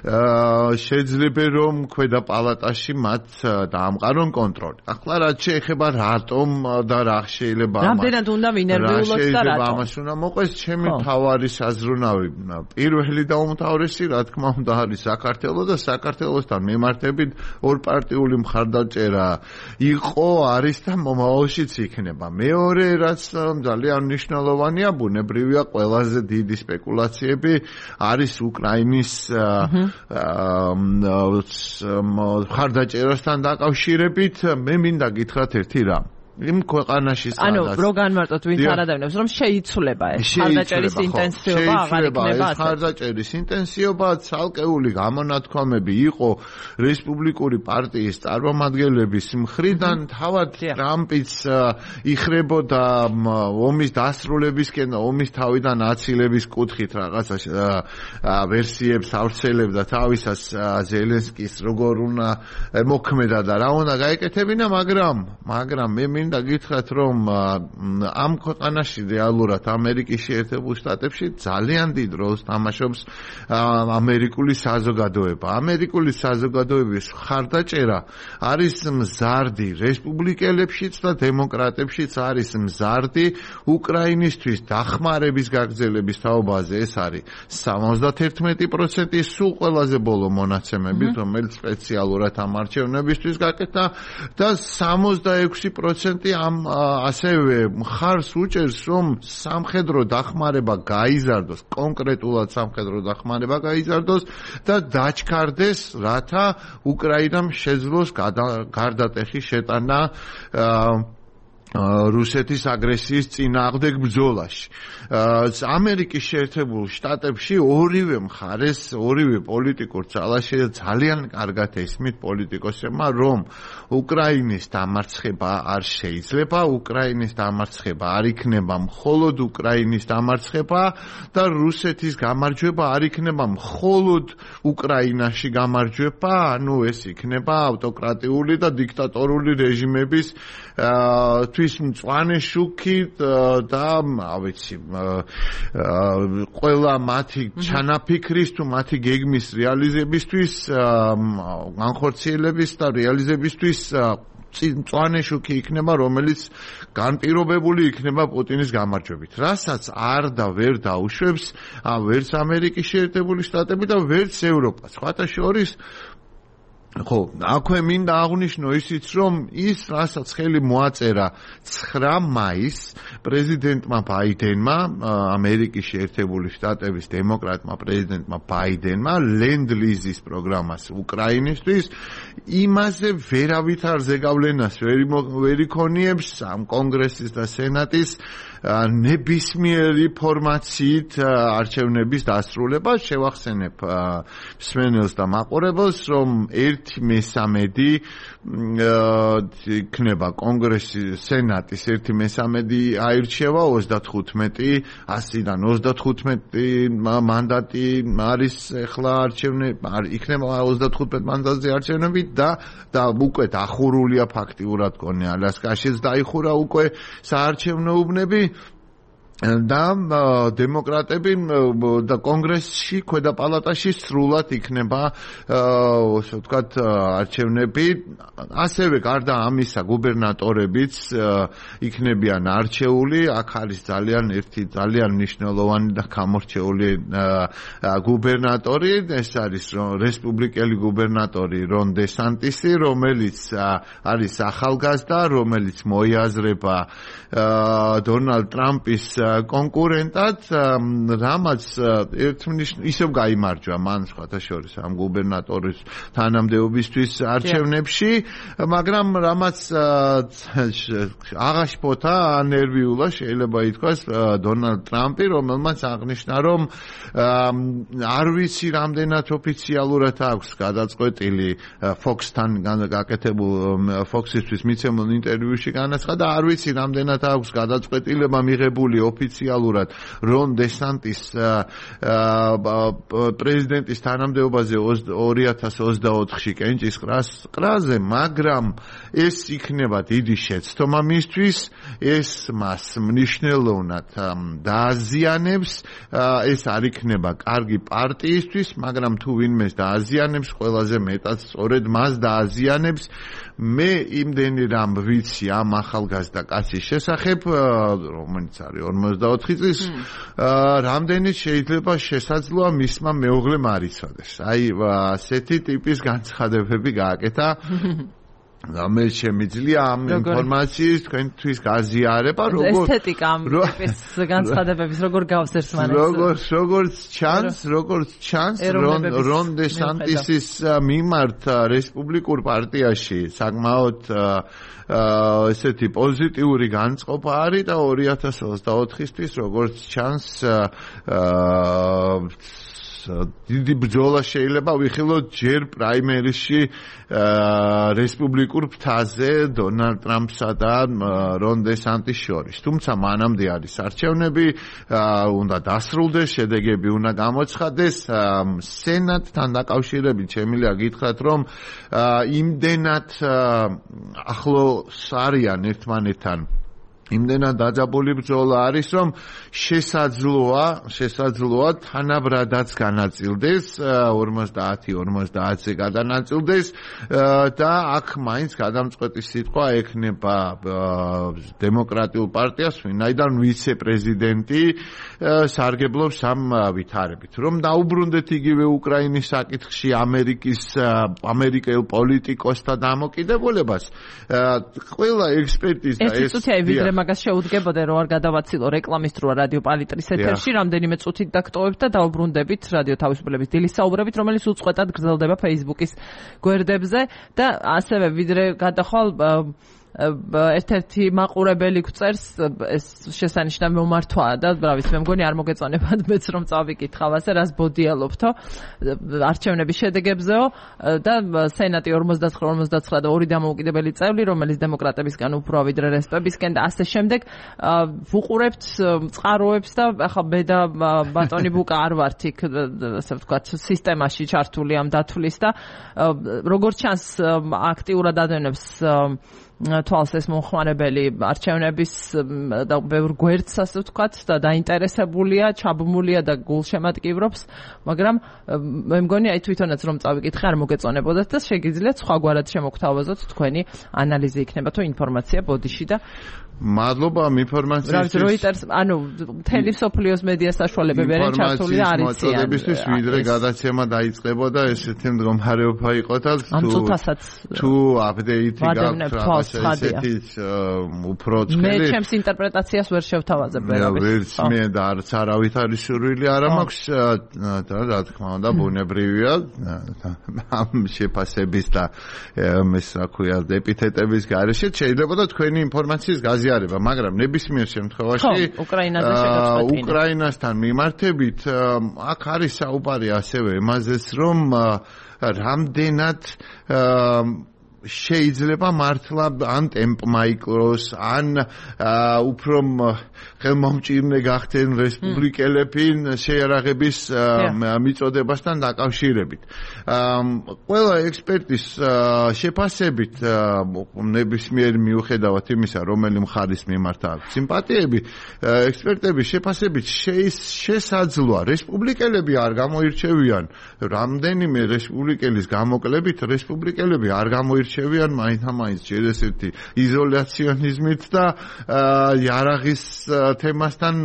[SPEAKER 2] შეიძლება რომ ქვედა პალატაში მათ დაამყარონ კონტროლი. ახლა რაც შეეხება რატომ და რა შეიძლება
[SPEAKER 1] რამდენად უნდა ვინერვიულოთ და რატომ
[SPEAKER 2] ამას უნდა მოყვეს ჩემი თავარი საზრუნავი. პირველი და უმთავრესი რა თქმა უნდა არის საქართველო და საქართველოსთან მიმართებით ორპარტიული მხარდაჭერა იყო, არის და მომავალშიც იქნება. მეორე რაც ძალიან მნიშვნელოვანია, ბუნებრივია ყველაზე დიდი სპეკულაციები არის უკრაინის მხარდაჭერასთან დაკავშირებით. მე მინდა გითხრათ ერთი რამ. იმ ქვეყანაში სადაც
[SPEAKER 1] რო განმარტოთ ვინც არ ადევნებს რომ შეიცვლება ეს მხარდაჭერის ინტენსივობა აღარ იქნება
[SPEAKER 2] ეს მხარდაჭერის ინტენსივობა ცალკეული გამონათქვამები იყო რესპუბლიკური პარტიის წარმომადგენლების მხრიდან თავად ტრამპიც იხრებოდა ომის დასრულებისკენ და ომის თავიდან აცილების კუთხით რაღაცა ვერსიებს ავრცელებდა თავისას ზელენსკის როგორ უნდა მოქმედა და რა უნდა გაეკეთებინა, მაგრამ მე მინდა გითხრათ, რომ ამ ქვეყანაში რეალურად ამერიკის შეერთებულ შტატებში ძალიან დიდ როლს თამაშობს ამერიკული საზოგადოება. ამერიკული საზოგადოების მხარდაჭერა არის მზარდი რესპუბლიკელებშიც და დემოკრატებშიც არის მზარდი. უკრაინისთვის დახმარების გაგრძელების თაობაზე ეს არის 71%, სულ ყველაზე ბოლო მონაცემებით, რომელიც სპეციალურად ამ არჩევნებისთვის გაკეთდა და 66% ამ ასევე მხარს უჭერს, რომ სამხედრო დახმარება გაიზარდოს, კონკრეტულად სამხედრო დახმარება გაიზარდოს და დაჩქარდეს, რათა უკრაინამ შეძლოს გარდატეხი შეტანა რუსეთის აგრესიის წინააღმდეგ ბრძოლაში. ამერიკის შეერთებულ შტატებში ორივე მხარეს, ორივე პოლიტიკურ ძალაში ძალიან კარგად ესმით პოლიტიკოსებმა, რომ უკრაინის დამარცხება არ შეიძლება, უკრაინის დამარცხება არ იქნება მხოლოდ უკრაინის დამარცხება და რუსეთის გამარჯვება არ იქნება მხოლოდ უკრაინაში გამარჯვება, ანუ ეს იქნება ავტოკრატიული და დიქტატორული რეჟიმების თვის მწვანე შუქით და ავიცი ყველა მათი ჩანაფიქრის თუ მათი გეგმის რეალიზებისთვის განხორციელების და რეალიზებისთვის მწვანე შუქი იქნება, რომელიც განპირობებული იქნება პუტინის გამარჯვებით, რასაც არ და ვერ დაუშვებს ვერც ამერიკის შეერთებული შტატები და ვერც ევროპა. სხვათა შორის ხო, აქვე მინდა აღვნიშნო ისიც, რომ ის, რასაც ხელი მოაწერა 9 მაისს პრეზიდენტმა ბაიდენმა, ამერიკის შეერთებული შტატების დემოკრატმა პრეზიდენტმა ბაიდენმა ლენდ-ლიზის პროგრამას უკრაინისთვის, იმაზე ვერავით არ ზეგავლენას ვერ იქონიებს ამ კონგრესის და სენატის ნებისმიერი ფორმაციით არჩევნების დასრულება. შევახსენებ მსმენელს და მაყურებელს, რომ 1/3 იქნება კონგრესის სენატის 1/3 აირჩევა 35 100-დან 35 მანდატი არის ახლა იქნება 35 მანდატზე არჩევნები და უკვე დახურულია ფაქტიურად კონე ალასკაშიც დაიხურა უკვე საარჩევნო უბნები და დემოკრატები და კონგრესში ქვედა პალატაში სრულად იქნება ასე ვთქვათ არჩევნები ასევე გარდა ამისა გუბერნატორებიც იქნებიან არჩეული აქ არის ძალიან მნიშვნელოვანი და გამორჩეული გუბერნატორი ეს არის რესპუბლიკელი გუბერნატორი რონ დესანტისი რომელიც არის ახალგაზრდა რომელიც მოიაზრება დონალდ ტრამპის კონკურენტად რამაც ისევ გაიმარჯვა მან სხვათა შორის ამ გუბერნატორის თანამდებობისთვის არჩევნებში მაგრამ რამაც აღაშფოთა ნერვიულა შეიძლება ითქვას დონალდ ტრამპი რომელმაც აღნიშნა რომ არ ვიცი რამდენად ოფიციალურად აქვს გადაწყვეტილი Fox-თან გაკეთებულ Fox-ისთვის მიცემულ ინტერვიუში განაცხადა არ ვიცი რამდენად აქვს გადაწყვეტილება მიღებული ოფიციალურად რონ დესანტის პრეზიდენტის თანამდებობაზე 2024-ში კენჭისყრაზე, მაგრამ ეს იქნება დიდი შეცდომა მისთვის, ეს მას მნიშვნელოვნად დააზიანებს, ეს არ იქნება კარგი პარტიისთვის, მაგრამ თუ ვინმეს დააზიანებს, ყველაზე მეტად სწორედ მას დააზიანებს. მე იმდენი რამ ვიცი ამ ახალგაზრდა კაცის შესახებ, რომელიც არის 44 წლის, რამდენიც შეიძლება შესაძლოა მისმა მეუღლემ არ იცოდეს. აი, ასეთი ტიპის განცხადებები გააკეთა. მე შემიძლია ამ ინფორმაციის თქვენთვის გაზიარება
[SPEAKER 1] ესთეტიკა ამ ტიპის განცხადებების როგორ გავს ერთმანეთს
[SPEAKER 2] როგორც ჩანს რონ დესანტისის მიმართ რესპუბლიკურ პარტიაში საკმაოდ ესეთი პოზიტიური განწყობა არის და 2024-ისთვის როგორც ჩანს დიდი ბრძოლა შეიძლება ვიხილოთ ჯერ პრაიმერისში რესპუბლიკურ ფრთაზე დონალდ ტრამპსა და რონ დესანტის შორის. თუმცა მანამდე არის არჩევნები, უნდა დასრულდეს, შედეგები უნდა გამოცხადდეს. სენატთან დაკავშირებით შემიძლია გითხრათ, რომ იმდენად ახლოს არიან ერთმანეთთან იმდენად დაძაბული ბრძოლა არის, რომ შესაძლოა თანაბრადაც განაწილდეს 50-50-ზე გადანაწილდეს და აქ მაინც გადამწყვეტი სიტყვა ექნება დემოკრატიულ პარტიას, ვინაიდან ვიცე-პრეზიდენტი სარგებლობს ამ ვითარებით. რომ დაუბრუნდეთ იგივე უკრაინის საკითხში ამერიკელ პოლიტიკოსთა დამოკიდებულებას, ყველა ექსპერტის და ეს
[SPEAKER 1] მაგას შეუდგებოდა რომ არ გადავაცილო რეკლამისტროა რადიო პალიტრის ეთერში რამდენიმე წუთით დაგტოვებთ და დაუბრუნდებით რადიო თავისუფლების დილის საუბრებით რომელიც უწყვეტად გრძელდება Facebook-ის გვერდებზე და ასევე ვიდრე გადახვალ ერთ-ერთი მაყურებელი გვწერს ეს შესანიშნავი მომართვაა და ბრავის მე მგონი არ მოგეწონებათ მეც რომ წავიკითხავ ასე რას ბოდიალობთო არჩევნების შედეგებზეო და სენატი 49-49 და 2 დამოუკიდებელი წევრი რომელიც დემოკრატებისგან უფრო ვიდრე რესპებისგან და ასე შემდეგ ვუყურებთ წყაროებს და ახლა მე და ბატონი ბუკა არ ვართ იქ ასე ვთქვათ სისტემაში ჩართული ამ დათვლის და როგორც ჩანს აქტიურად ადენებს თვალს ეს მომხმარებელი არჩევნების და ბევრ გვერდს ასე ვთქვათ და დაინტერესებულია, ჩაბმულია და გულშემატკივრობს, მაგრამ მე მგონი აი თვითონაც რომ წავიკითხე არ მოგეწონებოდათ და შეგიძლიათ სხვაგვარად შემოგთავაზოთ თქვენი ანალიზი იქნება თუ ინფორმაცია ბოდიში და
[SPEAKER 2] მადლობა ამ ინფორმაციისთვის.
[SPEAKER 1] Reuters, ანუ მთელი სოფლიოს მედია საშუალებები არიან ჩართული და არიციან.
[SPEAKER 2] ინფორმაციისთვის ვიდრე გადაცემა დაიწყებოდა ესეთი მდგომარეობა იყო და თუ აპდეიტი გაქვთ ესეთი უფრო წელი
[SPEAKER 1] მე ჩემს ინტერპრეტაციას ვერ შევთავაზებ
[SPEAKER 2] ვერც მე და არც არავით არის სურვილი არ მაქვს და რა თქმა უნდა ბუნებრივია ამ შეფასების და ეს რა ქვია ეპითეტების გარეშე შეიძლება და თქვენი ინფორმაციის გაზიარება მაგრამ ნებისმიერ შემთხვევაში უკრაინასთან მიმართებით აქ არის საუბარი ასევე იმაზეც რომ რამდენად შეიძლება მართლა ან ტემპმა იკროს ან უფრო ხელმომჭირნე გახდნენ რესპუბლიკელები შეიარაღების მიწოდებასთან დაკავშირებით. ყველა ექსპერტის შეფასებით ნებისმიერ მიუხედავად იმისა რომელი მხარის მიმართ აქვს სიმპათიები ექსპერტების შეფასებით შესაძლოა რესპუბლიკელები არ გამოირჩევიან რამდენიმე რესპუბლიკელის გამოკლებით რესპუბლიკელები არ გამოირჩევიან მაინც ჯერ ესეთი იზოლაციონიზმით და იარაღის თემასთან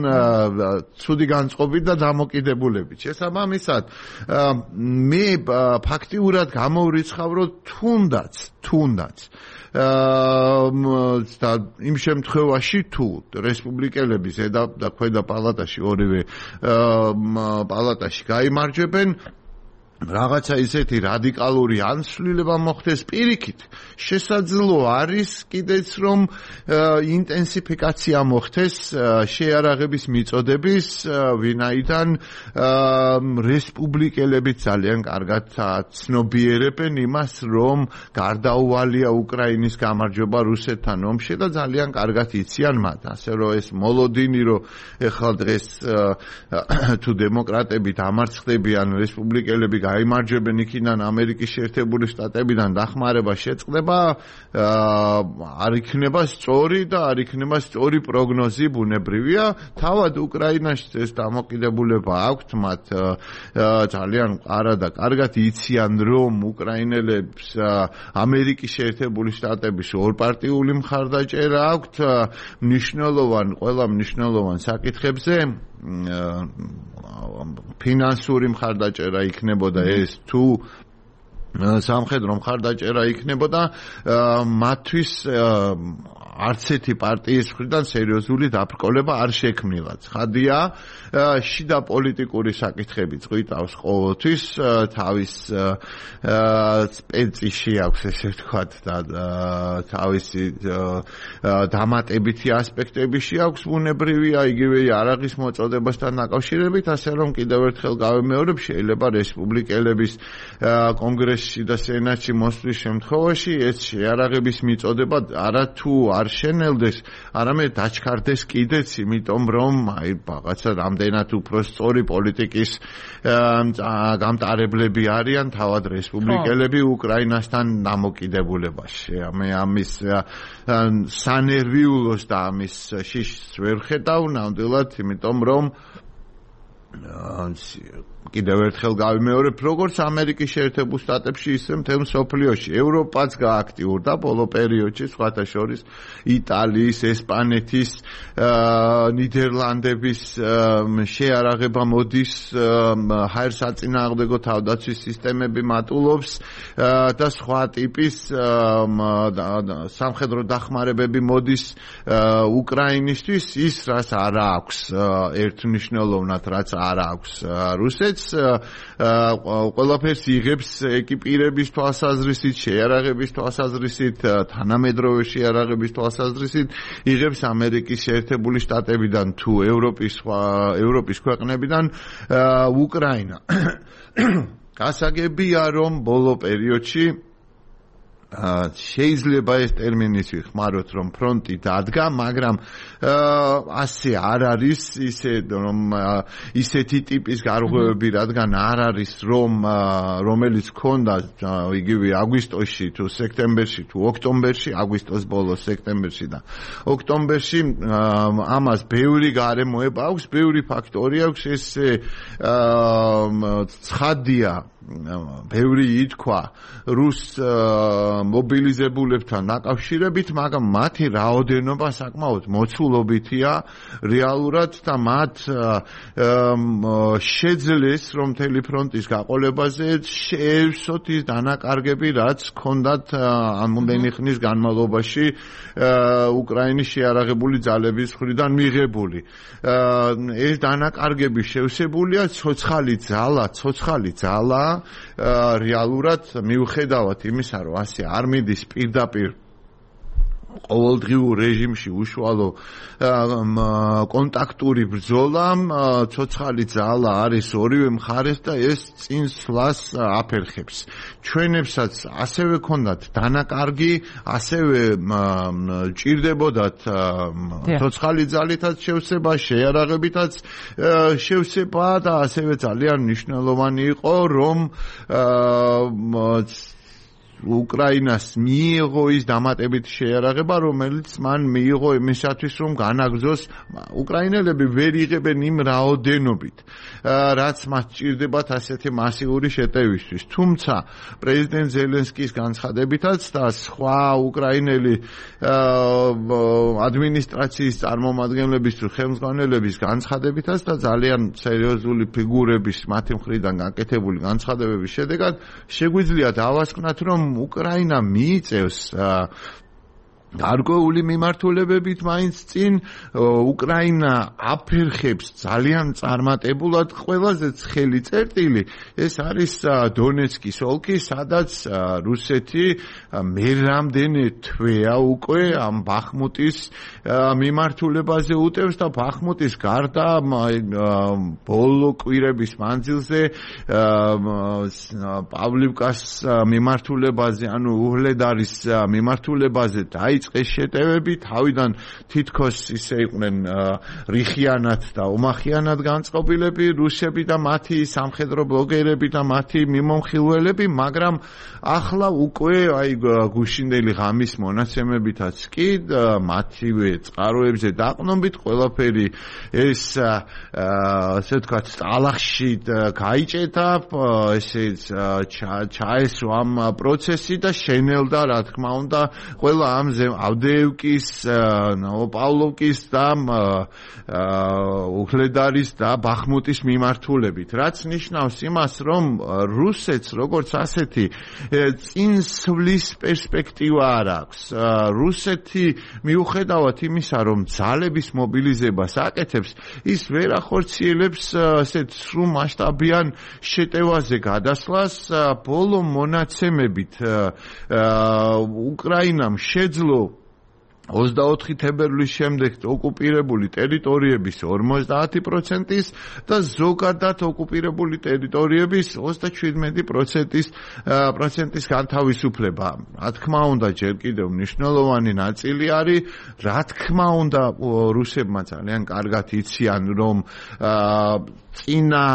[SPEAKER 2] ცუდი განწყობით და დამოკიდებულებით. შესაბამისად, მე ფაქტიურად გამოვრიცხავ, რომ თუნდაც და იმ შემთხვევაში თუ რესპუბლიკელები ზედა და ქვედა პალატაში ორივე პალატაში გაიმარჯვებენ რაღაცა ისეთი რადიკალური ანსვლილება მოხდეს პირიქით შესაძლოა არის კიდეც რომ ინტენსიფიკაცია მოხდეს შეიარაღების მიწოდების ვინაიდან რესპუბლიკელები ძალიან კარგად ცნობიერებენ იმას რომ გარდაუვალია უკრაინის გამარჯვება რუსეთთან ომში და ძალიან კარგად იციან მათ ასე რომ ეს მოლოდინი რომ ეხლა დღეს თუ დემოკრატები დამარცხდებიან რესპუბლიკელები გაიმარჯვებენ იქიდან ამერიკის შეერთებული შტატებიდან დახმარება შეწყდება არ იქნება სწორი და არ იქნება სწორი პროგნოზი ბუნებრივია თავად უკრაინაში ეს დამოკიდებულება აქვთ მათ ძალიან არა და კარგად იციან რომ უკრაინელებს ამერიკის შეერთებული შტატების ორპარტიული მხარდაჭერა აქვთ ყველა მნიშვნელოვან საკითხებზე ფინანსური მხარდაჭერა იქნებოდა ეს თუ სამხედრო მხარდაჭერა იქნებოდა მათთვის არც ერთი პარტიის მხრიდან სერიოზული დაბრკოლება არ შექმნილა. ცხადია, შიდა პოლიტიკური საკითხები წვიტავს ყოველთვის თავის სპეციში აქვს ესე ვთქვათ და თავისი დამატებითი ასპექტები აქვს ბუნებრივია იგივე იარაღის მოწოდებასთან დაკავშირებით, ასე რომ კიდევ ერთხელ გავიმეორებ, შეიძლება რესპუბლიკელების კონგრესში და სენატში მოსვლის შემთხვევაში ეს შეიარაღების მიწოდება არა თუ არ შენელდეს, არამედ დაჩქარდეს კიდეც, იმიტომ რომ აი რაღაცა რამდენად უფრო სწორი პოლიტიკის გამტარებლები არიან თავად რესპუბლიკელები უკრაინასთან დამოკიდებულებაში. მე ამის სანერვიულოს და ამის შიშს ვერ ხედავ ნამდვილად, იმიტომ რომ კიდევ ერთხელ გავიმეორებ, როგორც ამერიკის შეერთებულ შტატებში, ისე მთელ მსოფლიოში. ევროპაც გააქტიურდა ბოლო პერიოდში, სხვათა შორის იტალიის, ესპანეთის, ნიდერლანდების შეიარაღება მოდის, ჰაერსაწინააღმდეგო თავდაცვის სისტემები მატულობს და სხვა ტიპის სამხედრო დახმარებები მოდის უკრაინისთვის, ის რაც არ აქვს ერთმნიშვნელოვნად, რაც არ აქვს რუსეთს ყველაფერს იღებს ეკიპირების თვალსაზრისით, შეიარაღების თვალსაზრისით, თანამედროვე შეიარაღების თვალსაზრისით, იღებს ამერიკის შეერთებული შტატებიდან თუ ევროპის ქვეყნებიდან უკრაინა. გასაგებია, რომ ბოლო პერიოდში შეიძლება ეს ტერმინი ვიხმაროთ, რომ ფრონტი დადგა, მაგრამ ასე არ არის, ისეთი ტიპის გარღვევები, რადგან არ არის, რომელიც ჰქონდა იგივე აგვისტოში თუ სექტემბერში თუ ოქტომბერში, აგვისტოს ბოლოს, სექტემბერში და ოქტომბერში, ამას ბევრი გარემოება აქვს, ბევრი ფაქტორი აქვს, ეს ცხადია. ბევრი ითქვა რუს მობილიზებულებთან დაკავშირებით, მაგრამ მათი რაოდენობა საკმაოდ მოცულობითია რეალურად და მათ შეძლეს რომ მთელი ფრონტის გაყოლებაზე შეევსოთ ის დანაკარგები, რაც ჰქონდათ ამოდენი ხნის განმავლობაში უკრაინის შეიარაღებული ძალების მხრიდან მიღებული. ეს დანაკარგები შევსებულია ცოცხალი ძალა რეალურად მიუხედავად იმისა, რომ ასე არ მიდის პირდაპირ ყოველდღიურ რეჟიმში უშუალო კონტაქტური ბრძოლა, ცოცხალი ძალა არის ორივე მხარეს და ეს წინსვლას აფერხებს. ჩვენებსაც ასევე ქონდათ დანაკარგი, ასევე ჭირდებოდათ ცოცხალი ძალითაც შევსება, შეიარაღებითაც შევსება და ასევე ძალიან მნიშვნელოვანი იყო, რომ უკრაინას მიიღო ის დამატებით შეიარაღება, რომელიც მან მიიღო იმისათვის, რომ განაგრძოს უკრაინელები ვერ იღებენ იმ რაოდენობით, რაც მათ სჭირდებათ ასეთი მასიური შეტევისთვის. თუმცა პრეზიდენტ ზელენსკის განცხადებითაც და სხვა უკრაინელი ადმინისტრაციის წარმომადგენლების თუ ხელმძღვანელების განცხადებითაც და ძალიან სერიოზული ფიგურების მათი მხრიდან გაკეთებული განცხადებების შედეგად შეგვიძლია დავასკვნათ, რომ უკრაინა მიიწევს გარკვეული მიმართულებებით მაინც წინ, უკრაინა აფერხებს ძალიან წარმატებულად. ყველაზე ცხელი წერტილი ეს არის დონეცკის ოლქი, სადაც რუსეთი მერამდენე თვეა უკვე ამ ბახმუტის მიმართულებაზე უტევს და ბახმუტის გარდა ბოლო კვირების მანძილზე პავლივკას მიმართულებაზე, ანუ უჰლედარის მიმართულებაზე დაიწყეს შეტევები, თავიდან თითქოს ისე იყვნენ რიხიანად და ომახიანად განწყობილები რუსები და მათი სამხედრო ბლოგერები და მათი მიმომხილველები, მაგრამ ახლა უკვე გუშინდელი ღამის მონაცემებითაც კი მათივე წყაროებზე დაყრდნობით ყველაფერი ეს ასე ვთქვათ ტალახში გაიჭედა, ესე ჩაესვა ამ პროცესი და შენელდა რა თქმა უნდა ყველა ამზე ავდეევკის, ნოვოპავლოვკის და უჰლედარის და ბახმუტის მიმართულებით, რაც ნიშნავს იმას, რომ რუსეთს როგორც ასეთი წინსვლის პერსპექტივა არ აქვს. რუსეთი მიუხედავად იმისა, რომ ძალების მობილიზებას აკეთებს, ის ვერ ახორციელებს ასეთ სრულ მასშტაბიან შეტევაზე გადასვლას. ბოლო მონაცემებით უკრაინამ შეძლო 24 თებერვლის შემდეგ ოკუპირებული ტერიტორიების 50%-ის და ზოგადად ოკუპირებული ტერიტორიების 37%-ის განთავისუფლება. რა თქმა უნდა, ჯერ კიდევ მნიშვნელოვანი ნაწილი არის, რა თქმა უნდა, რუსებმა ძალიან კარგად იციან, რომ წინა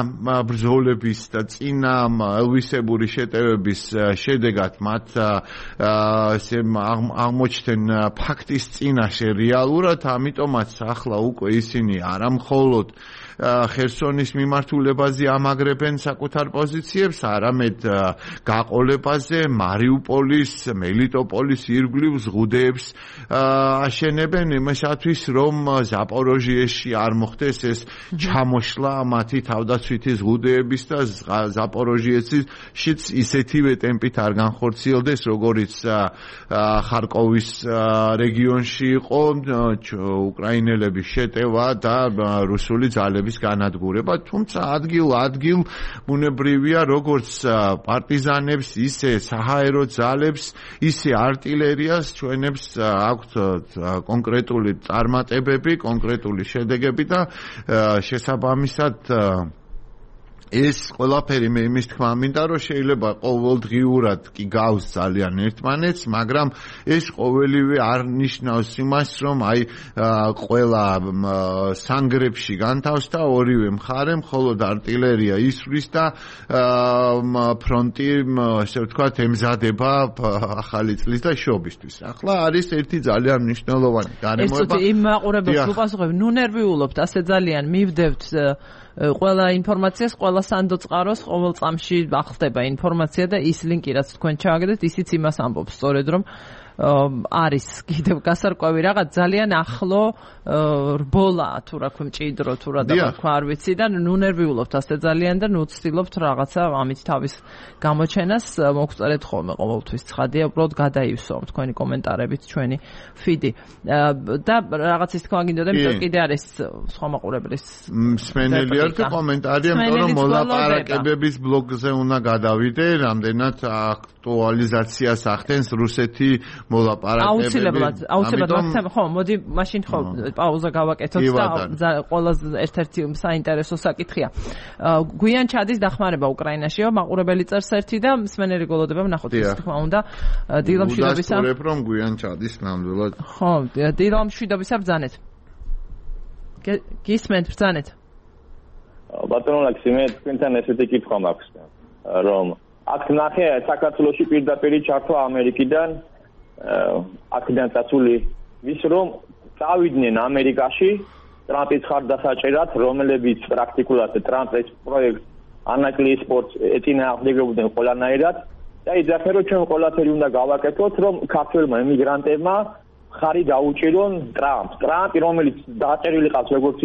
[SPEAKER 2] ბრძოლების და წინა ელვისებური შეტევების შედეგად მათ აღმოჩნდნენ ფაქტის წინაშე რეალურად, ამიტომაც ახლა უკვე ისინი არამხოლოდ ხერსონის მიმართულებაზე ამაგრებენ საკუთარ პოზიციებს, არამედ გაყოლებაზე მარიუპოლის, მელიტოპოლის ირგვლივ ზღუდეებს აშენებენ იმისათვის, რომ ზაპოროჟიეში არ მოხდეს ეს ჩამოშლა მათი თავდაცვითი ზღუდეების და ზაპოროჟიეშიც ისეთივე ტემპით არ განხორციელდეს, როგორიც ხარკოვის რეგიონში იყო უკრაინელების შეტევა და რუსული ძალების განადგურება. თუმცა ადგილ ბუნებრივია, როგორც პარტიზანებს, ისე საჰაერო ძალებს, ისე артиლერიას ჩვენებს აქვთ კონკრეტული წარმატებები, კონკრეტული შედეგები და შესაბამისად ეს ყველაფერი მე იმის თქმა მინდა, რომ შეიძლება ყოველდღიურად კი გავს ძალიან ერთმანეთს, მაგრამ ეს ყოველივე არ ნიშნავს იმას, რომ ყველა სანგრებში განთავსდა ორივე მხარე, მხოლოდ артиლერია ისვრის და ფრონტი, ასე ვთქვათ, ემზადება ახალი წლის და შობისთვის. ახლა არის ერთი ძალიან მნიშვნელოვანი გარემოება.
[SPEAKER 1] ეს იმ მაყურებელს უპასუხებ, ნუ ნერვიულობთ, ასე ძალიან მივდევთ ყველა ინფორმაციას, ყველა სანდო წყაროს ყოველ წამში ახსდება ინფორმაცია და ის ლინკი, რაც თქვენ ჩააგდეთ, ისიც იმას ამბობს სწორედ, რომ არის კიდევ გასარკვევი რაღაც ძალიან ახლო რბოლა თუ რა ქვია მჭიდრო თუ რა თქვა არ ვიცი და ნუ ნერვიულობთ ასე ძალიან და ნუ ვცდილობთ რაღაცა ამით თავის გამოჩენას მოგწერეთ ხოლმე ყოველთვის ცხადია უბრალოდ გადაივსო თქვენი კომენტარებით ჩვენი ფიდი და რაღაცის თქვა გინდოდა იმიტომ კიდე არის სხვა მაყურებლის
[SPEAKER 2] მსმენელი ერთი კომენტარია იმიტომ რომ მოლაპარაკებების ბლოგზე უნდა გადავიდე რამდენად აქტუალიზაციას ახდენს რუსეთი მოლაპარაკებები
[SPEAKER 1] აუცილებლად ხო მოდი მაშინ ხო პაუზა გავაკეთოთ და ყველაზე ერთ-ერთი საინტერესო საკითხია გვიან ჩადის დახმარება უკრაინაშიო მაყურებელი წერს ერთი და მსმენელი გოლოდება ვნახოთ ის თქმა უნდა დილამშვიდობისა
[SPEAKER 2] ვუდასტურებ რომ გვიან ჩადის ნამდვილად
[SPEAKER 1] ხო დილამშვიდობისა ბრძანეთ გისმენთ ბრძანეთ
[SPEAKER 3] ბატონო ლაქსიმე თქვენთან ესეთი კითხვა მაქვს რომ აქ ნახე საქართველოში პირდაპირ ჩართვა ამერიკიდან აქედან წასული ვის რომ წავიდნენ ამერიკაში ტრამპის ხარდასაჭერად რომლებიც პრაქტიკულად ტრამპის პროექტ ანაკლიის სპორტს ეწინააღმდეგებოდნენ ყველანაირად და იძახე რომ ჩვენ ყველაფერი უნდა გავაკეთოთ რომ ქართველმა ემიგრანტებმა ხარი დაუჭირონ ტრამპი რომელიც დააწერილი ყავს როგორც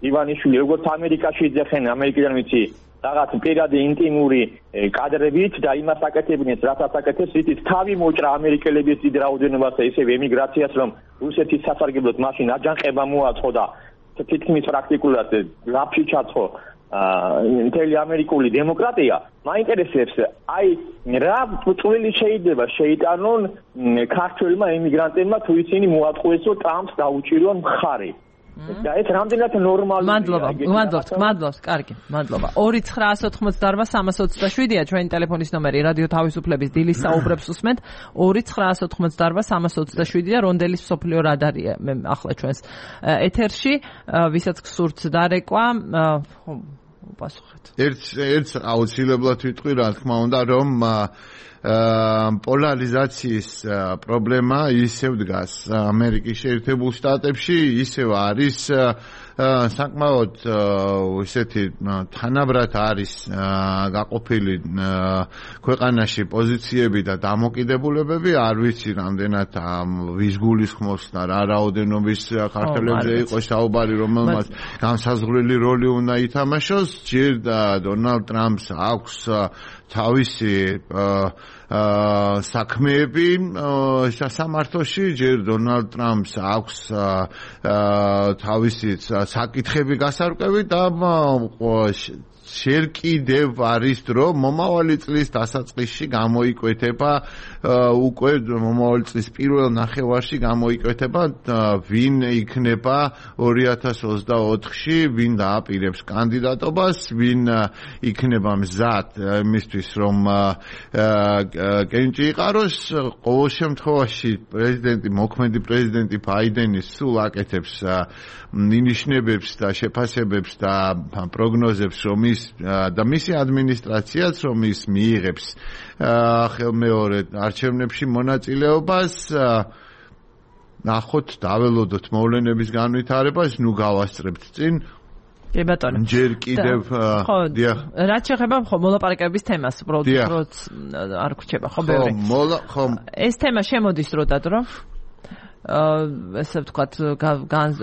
[SPEAKER 3] ივანიშვილი როგორც ამერიკაში იძახენ ამერიკიდან ვიცი რაღაც პირადი ინტიმური კადრებით და იმას აკეთებინეს, რასაც აკეთებს, იცით, თავი მოჭრა ამერიკელების დიდ რაოდენობას და ისევ ემიგრაციას, რომ რუსეთის სასარგებლოდ მაშინ აჯანყება მოაწყო და თითქმის პრაქტიკულად ლაფში ჩაწყო მთელი ამერიკული დემოკრატია. მაინტერესებს, აი რა წვლილი შეიძლება შეიტანონ ქართველმა ემიგრანტებმა თუ ისინი მოატყუესო ტრამპს დაუჭირონ მხარი. და ეს რამდენად ნორმალურია.
[SPEAKER 1] მადლობთ, კარგი, მადლობა. 2-988-327-ია ჩვენი ტელეფონის ნომერი, რადიო თავისუფლების დილის საუბრებს უსმენთ. 2-988-327 და რონდელის მსოფლიო რადარია მე ახლა ჩვენს ეთერში, ვისაც გსურთ დარეკვა, პასუხეთ.
[SPEAKER 2] ერთ აუცილებლად ვიტყვი, რა თქმა უნდა, რომ პოლარიზაციის პრობლემა ისევ დგას ამერიკის შეერთებულ შტატებში, ისევ არის საკმაოდ ისეთი თანაბრად არის გაყოფილი ქვეყანაში პოზიციები და დამოკიდებულებები, არ ვიცი რამდენად ვის გულისხმობს და რა რაოდენობის ქართველებზე იყო საუბარი, რომელმაც განსაზღვრელი როლი უნდა ითამაშოს, ჯერ დონალდ ტრამპს აქვს თავისი საქმეები სასამართლოში, ჯერ დონალდ ტრამპს აქვს თავისი საკითხები გასარკვევი და შენ კიდევ არის დრო მომავალი წლის დასაწყისში გამოიკვეთება უკვე მომავალი წლის პირველ ნახევარში გამოიკვეთება ვინ იქნება 2024-ში ვინ დააპირებს კანდიდატობას ვინ იქნება მზად იმისთვის რომ კენჭი იყაროს ყოველ შემთხვევაში მოქმედი პრეზიდენტი ბაიდენი სულ აკეთებს ნიშნებებს და შეფასებებს და პროგნოზებს რომ და მისი ადმინისტრაციაც რომ ის მიიღებს ხელმეორედ არჩევნებში მონაწილეობას ნახოთ დაველოდოთ მოვლენების განვითარებას ნუ გავასწრებთ წინ
[SPEAKER 1] კი ბატონო
[SPEAKER 2] ჯერ კიდევ
[SPEAKER 1] დიახ რაც შეეხება მოლაპარაკებების თემას უბრალოდ არ გვჩება ხო ბევრი
[SPEAKER 2] ხო
[SPEAKER 1] ეს თემა შემოდის დროდადრო ესე ვთქვათ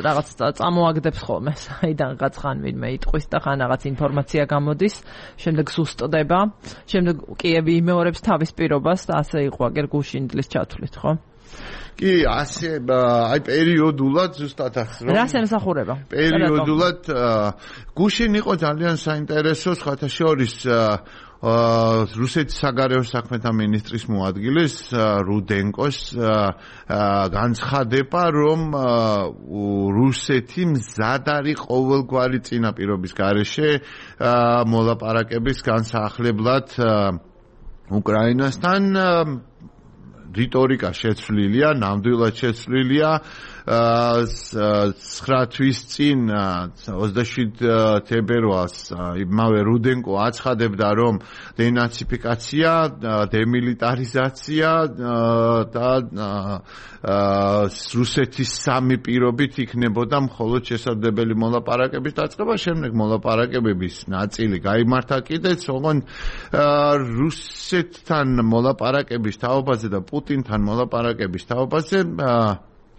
[SPEAKER 1] რაღაც წამოაგდებს ხოლმე საიდანღაც ხან ვინმე იტყვის და ხან რაღაც ინფორმაცია გამოდის შემდეგ სუსტდება შემდეგ კიევი იმეორებს თავის პირობას და ასე იყო აგერ გუშინდლის ჩათვლით ხო
[SPEAKER 2] კი ასე აი პერიოდულად ზუსტად ახს რომ
[SPEAKER 1] რას ემსახურება
[SPEAKER 2] პერიოდულად გუშინ იყო ძალიან საინტერესო სხვათა შორის რუსეთის საგარეო საქმეთა მინისტრის მოადგილის რუდენკოს განცხადება რომ რუსეთი მზად არის ყოველგვარი წინაპირობის გარეშე მოლაპარაკების განსახლებლად უკრაინასთან რიტორიკა შეცვლილია, ნამდვილად შეცვლილია. 9 თვის წინ 27 თებერვალს იმავე რუდენკო აცხადებდა, რომ დენაციფიკაცია, დემილიტარიზაცია და რუსეთის სამი პირობით იქნებოდა მხოლოდ შესაძლებელი მოლაპარაკების დაწყება, შემდეგ მოლაპარაკებების ნაწილი გაიმართა კიდეც, ოღონდ რუსეთთან მოლაპარაკების თაობაზე და პუტინთან მოლაპარაკების თაობაზე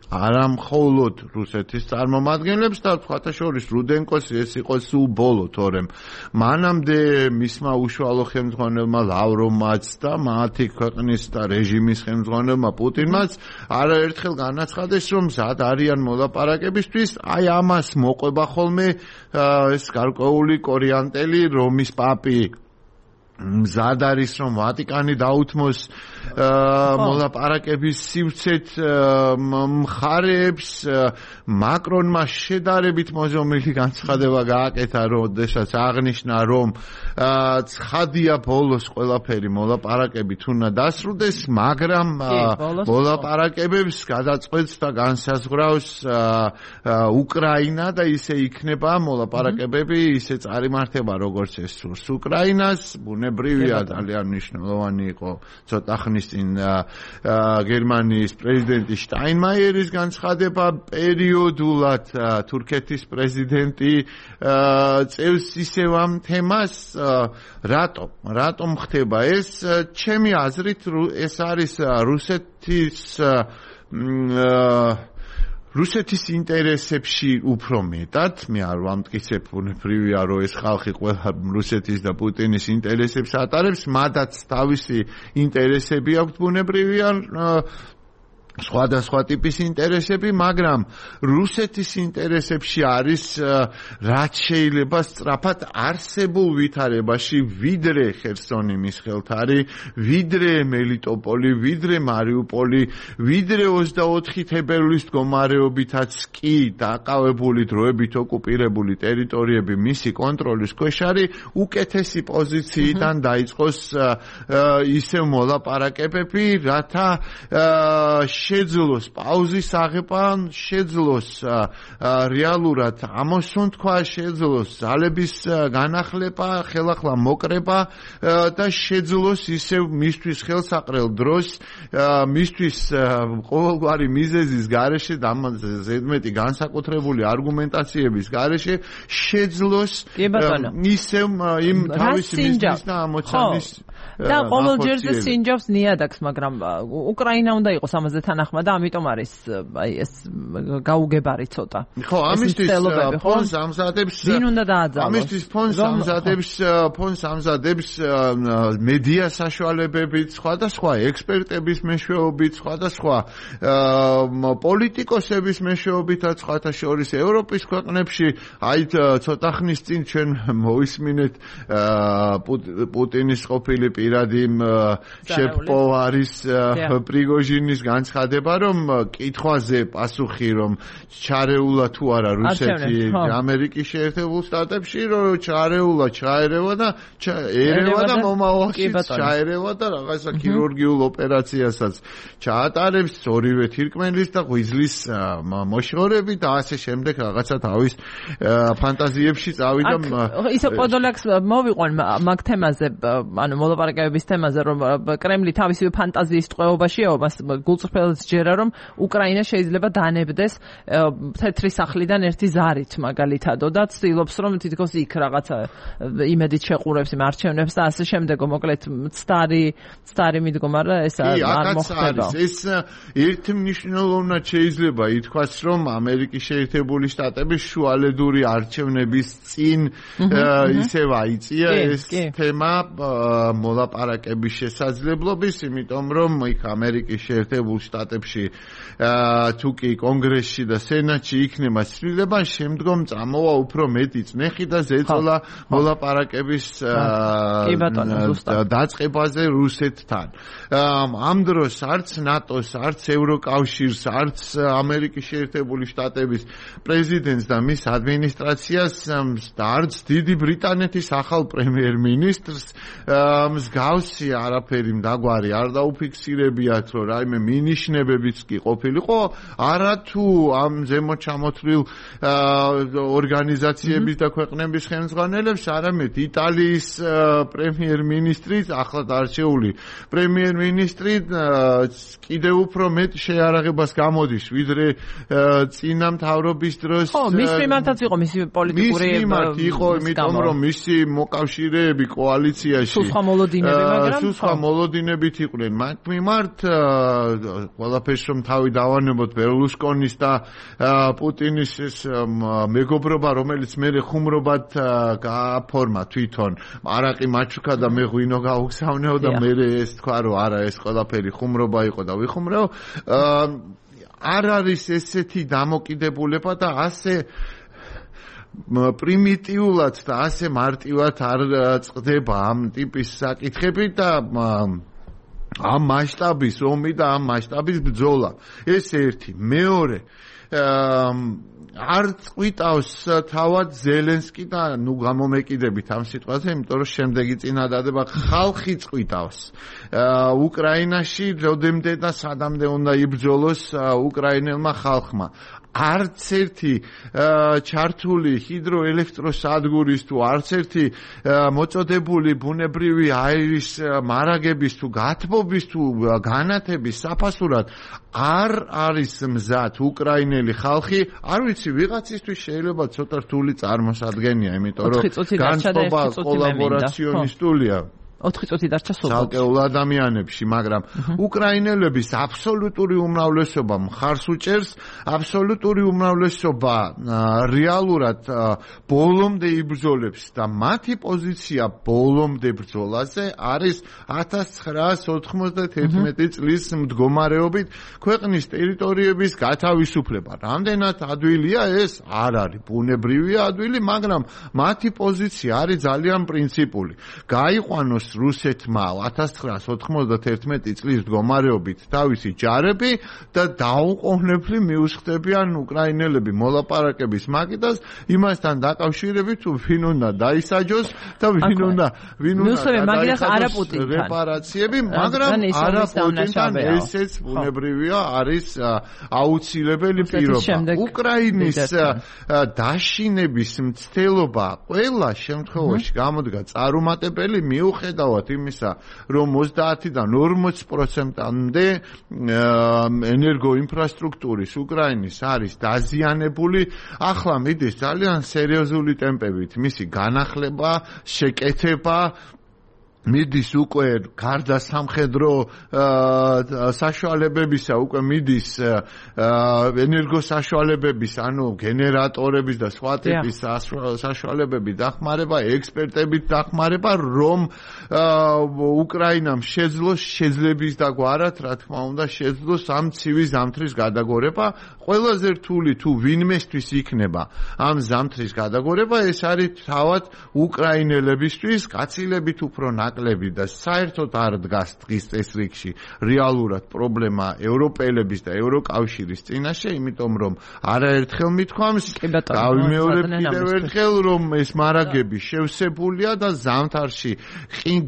[SPEAKER 2] არა მხოლოდ რუსეთის წარმომადგენლებს და სხვათა შორის რუდენკოს ეს იყო სულ ბოლო, თორემ მანამდე მისმა უშუალო ხელმძღვანელმა ლავროვმაც და მათი ქვეყნის და რეჟიმის ხელმძღვანელმა პუტინმაც არაერთხელ განაცხადეს, რომ მზად არიან მოლაპარაკებისთვის, აი ამას მოყვება ხოლმე ეს გარკვეული კორიანტელი რომის პაპი მზად არის, რომ ვატიკანი დაუთმოს მოლაპარაკების სივრცეთ მხარეებს. მაკრონმა შედარებით მოზომილი განცხადება გააკეთა, როდესაც აღნიშნა, რომ ცხადია ბოლოს ყველაფერი მოლაპარაკებით უნდა დასრულდეს, მაგრამ მოლაპარაკებებს გადაწყვეტს და განსაზღვრავს უკრაინა და ისე იქნება მოლაპარაკებები, ისე წარიმართება, როგორც ეს სურს უკრაინას. ბუნებრივია, ძალიან მნიშვნელოვანი იყო ცოტა ხნის წინ გერმანიის პრეზიდენტი შტაინმაიერის განცხადება, პერიოდულად თურქეთის პრეზიდენტი წევს ისევ ამ თემას. რატომ ხდება ეს? ჩემი აზრით ეს არის რუსეთის ინტერესებში უფრო მეტად, მე არ ვამტკიცებ, ბუნებრივია, რომ ეს ხალხი ყველა რუსეთის და პუტინის ინტერესებს ატარებს, მადაც თავისი ინტერესები აქვს, ბუნებრივია, სხვადასხვა ტიპის ინტერესები, მაგრამ რუსეთის ინტერესებში არის რაც შეიძლება სწრაფად არსებულ ვითარებაში, ვიდრე ხერსონიმის ხელთარი, ვიდრე მელიტოპოლი, ვიდრე მარიუპოლი, ვიდრე 24 თებერვლის მდგომარეობითაც კი დაკავებული დროებით ოკუპირებული ტერიტორიები მისი კონტროლის ქვეშ არის, უკეთესი პოზიციიდან დაიწყოს ისევ მოლაპარაკებები, რათა შეძლოს პაუზის აღება, შეძლოს რეალურად ამოსუნ თქვა, შეძლოს ძალების განახლება, ხელახლა მოკრება და შეძლოს ისევ მისთვის ხელსაყრელ დროს, მისთვის ყოველგვარი მიზეზის გარეშე, ზედმეტი განსაკუთრებული არგუმენტაციების გარეშე შეძლოს ისევ იმ თავისი მიზნის და ამოცანის
[SPEAKER 1] და ყოველჯერზე სინჯავს ნიადაგს, მაგრამ უკრაინა უნდა იყოს ამაზე თანახმა და ამიტომ არის აი ეს გაუგებარი ცოტა.
[SPEAKER 2] ხო, ამისთვის ფონს ამზადებს.
[SPEAKER 1] ვინ უნდა დააძალოს?
[SPEAKER 2] ამისთვის ფონს ამზადებს მედია საშუალებებით, სხვადასხვა ექსპერტების მეშვეობით, სხვადასხვა პოლიტიკოსების მეშვეობითაც, სხვათა შორის ევროპის ქვეყნებში. აი ცოტა ხნის წინ ჩვენ მოვისმინეთ პუტინის ყოფილი პირადი შეფპო არის პრიგოჟინის განცხადება, რომ კითხვაზე პასუხი, რომ ჩარეულა თუ არა რუსეთი ამერიკის შეერთებულ შტატებში, რომ ჩარეულა, ჩაერევა და ერევა და მომავალში ჩაერევა და რაღაცა ქირურგიულ ოპერაციასაც ჩაატარებს ორივე თირკმელის და ღვიძლის მოშორები და ასე შემდეგ რაღაცა თავის ფანტაზიებში წავიდა.
[SPEAKER 1] ისე პოდოლაკს მოვიყვან მაგ თემაზე, ანუ მოლაპარაკებების თემაზე, რომ კრემლი თავისი ფანტაზიის ტყვეობაშია, მას გულწრფელად ჯერა, რომ უკრაინა შეიძლება დანებდეს თეთრი სახლიდან ერთი ზარით მაგალითადო და ცდილობს, რომ თითქოს იქ რაღაცა იმედით შეყურებს იმ არჩევნებს და ასე შემდეგ, მოკლედ მცდარი მიდგომა და ეს არ მოხდება.
[SPEAKER 2] ეს ერთი მნიშვნელოვნად შეიძლება ითქვას, რომ ამერიკის შეერთებული შტატების შუალედური არჩევნების წინ ისევ აიწია ეს თემა მოლაპარაკების შესაძლებლობის, იმიტომ რომ იქ ამერიკის შეერთებულ შტატებში შტატებში თუ კი კონგრესში და სენატში იქნება ცვლილება, შემდგომ წამოვა უფრო მეტი წნეხი და ზეწოლა მოლაპარაკების დაწყებაზე რუსეთთან. ამ დროს არც ნატოს, არც ევროკავშირს, არც ამერიკის შეერთებული შტატების პრეზიდენტს და მის ადმინისტრაციას და არც დიდი ბრიტანეთის ახალ პრემიერ-მინისტრს მსგავსი არაფერი მდაგვარი არ დაუფიქსირებიათ, რომ რაიმე მინიშნებებიც კი ყოფილიყო, არა თუ ამ ზემოთ ჩამოთვლილ ორგანიზაციების და ქვეყნების ხელმძღვანელებს, არამედ იტალიის პრემიერ-მინისტრიც, ახლად არჩეული პრემიერ-მინისტრი კიდევ უფრო მეტ შეარაღებას გამოდის, ვიდრე წინა მთავრობის დროს.
[SPEAKER 1] ხო, მის მიმართაც იყო მისი პოლიტიკური
[SPEAKER 2] იყო, იმიტომ რომ მისი მოკავშირეები კოალიციაში
[SPEAKER 1] სუსხა მოლოდინები, მაგრამ
[SPEAKER 2] სუსხა მოლოდინებით იყვნენ. მათ მიმართ ყველაფერს რომ თავი დავანებოთ ბერლუსკონის და პუტინის ეს მეგობრობა, რომელიც მერე ხუმრობად გააფორმა თვითონ. არაყი მაჩუკა და მე ღვინო გაუგზავნეო და მერე ეს თქვა რომ არა, ეს ყველაფერი ხუმრობა იყო და ვიხუმრეო. არ არის ესეთი დამოკიდებულება და ასე პრიმიტიულად და ასე მარტივად არ წყდება ამ ტიპის საკითხები და ამ მასშტაბის ომი და ამ მასშტაბის ბრძოლა. ეს ერთი. მეორე, არ წვიტავს თავად ზელენსკი და ნუ გამომეკიდებით ამ სიტყვაზე, იმიტომ რომ შემდეგი წინადადება ხალხი წვიტავს. უკრაინაში როდემდე და სადამდე უნდა იბრძოლოს უკრაინელმა ხალხმა. არც ერთი ჩართული ჰიდროელექტროსადგურის თუ არც ერთი მოწოდებული ბუნებრივი აირის მარაგების თუ გათბობის თუ განათების საფასურად არ არის მზად უკრაინელი ხალხი, არ ვიცი, ვიღაცისთვის შეიძლება ცოტა რთული წარმოსადგენია, იმიტომ რომ განწყობა კოლაბორაციონისტულია.
[SPEAKER 1] 4 წუთი დარჩა სულ.
[SPEAKER 2] ცალკეულ ადამიანებში, მაგრამ უკრაინელების აბსოლუტური უმრავლესობა მხარს უჭერს, აბსოლუტური უმრავლესობა რეალურად ბოლომდე იბრძოლებს და მათი პოზიცია ბოლომდე ბრძოლაზე არის 1991 წლის მდგომარეობით ქვეყნის ტერიტორიების გათავისუფლება. რამდენად ადვილია ეს? არ არის ბუნებრივია ადვილი, მაგრამ მათი პოზიცია არის ძალიან პრინციპული. გაიყვანოს რუსეთმა 1991 წლის მდგომარეობით თავისი ჯარები და დაუყოვნებლივ მიუსხდებიან უკრაინელები მოლაპარაკების მაგიდას, იმასთან დაკავშირებით თუ ვინ უნდა დაისაჯოს და ვინ უნდა გადაიხადოს რეპარაციები, მაგრამ არა პუტინთან ესეც ბუნებრივია არის აუცილებელი პირობა. უკრაინის დაშინების მცდელობა ყველა შემთხვევაში გამოდგა წარუმატებელი მიუხედავად იმისა, რომ 30-დან 40%-მდე ენერგოინფრასტრუქტურის უკრაინის არის დაზიანებული. ახლა მიდის ძალიან სერიოზული ტემპებით მისი განახლება, შეკეთება, მიდის უკვე გარდა სამხედრო საშუალებებისა, უკვე მიდის ენერგოსაშუალებების, ანუ გენერატორების და სხვა ტიპის საშუალებების დახმარება, ექსპერტებით დახმარება, რომ უკრაინამ შეძლოს შეძლების დაგვარად, რა თქმა უნდა, შეძლოს ამ ცივი ზამთრის გადაგორება. ყველაზე რთული თუ ვინმესთვის იქნება ამ ზამთრის გადაგორება, ეს არის თავად უკრაინელებისთვის, კაცილებით უფრო ნაკლები და საერთოდ არ დგას დღის წესრიგში რეალურად პრობლემა ევროპელების და ევროკავშირის წინაშე, იმიტომ რომ არაერთხელ მithქვამს, გავიმეორებ კიდევ ერთხელ, რომ ეს მარაგები შევსებულია და ზამთარში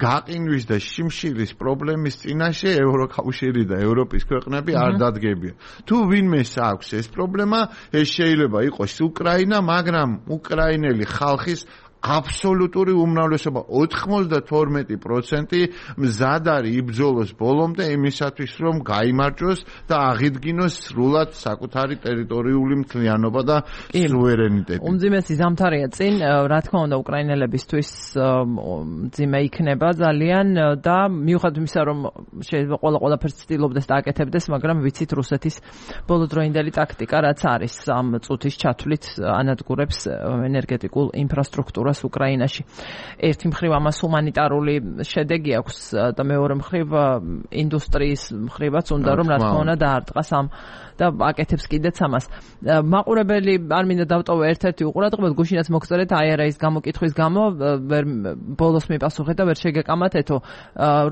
[SPEAKER 2] გაყინვის და შიმშილის პრობლემის წინაშე ევროკავშირი და ევროპის ქვეყნები არ დადგებიან. თუ ვინმეს აქვს ეს პრობლემა, ეს შეიძლება იყოს უკრაინა, მაგრამ უკრაინელი ხალხის აბსოლუტური უმრავლესობა 92% მზად არის იბრძოლოს ბოლომდე იმისათვის, რომ გაიმარჯვოს და აღიდგინოს სრულად საკუთარი ტერიტორიული მთლიანობა და სუვერენიტეტი.
[SPEAKER 1] უმძიმესი ზამთარია წინ, რა თქმა უნდა, უკრაინელებისთვის მძიმე იქნება ძალიან და მიუხედავად იმისა, რომ შეიძლება ყველაფერს ცდილობდეს და აკეთებდეს, მაგრამ ვიცით რუსეთის ბოლოდროინდელი ტაქტიკა, რაც არის ამ წუთის ჩათვლით ანადგურებს ენერგეტიკულ ინფრასტრუქტურას დიქტატურას უკრაინაში. ერთი მხრივ ამას ჰუმანიტარული შედეგი აქვს და მეორე მხრივ ინდუსტრიის მხრივაც უნდა რომ რა თქმა უნდა დაარტყას ამ და აკეთებს კიდეც ამას. მაყურებელი არ მინდა დავტოვო ერთ-ერთი უყურადღებოდ გუშინაც მოგწერეთ IRA-ის გამოკითხვის გამო ვერ ბოლოს მიპასუხეთ და ვერ შეგეკამათეთო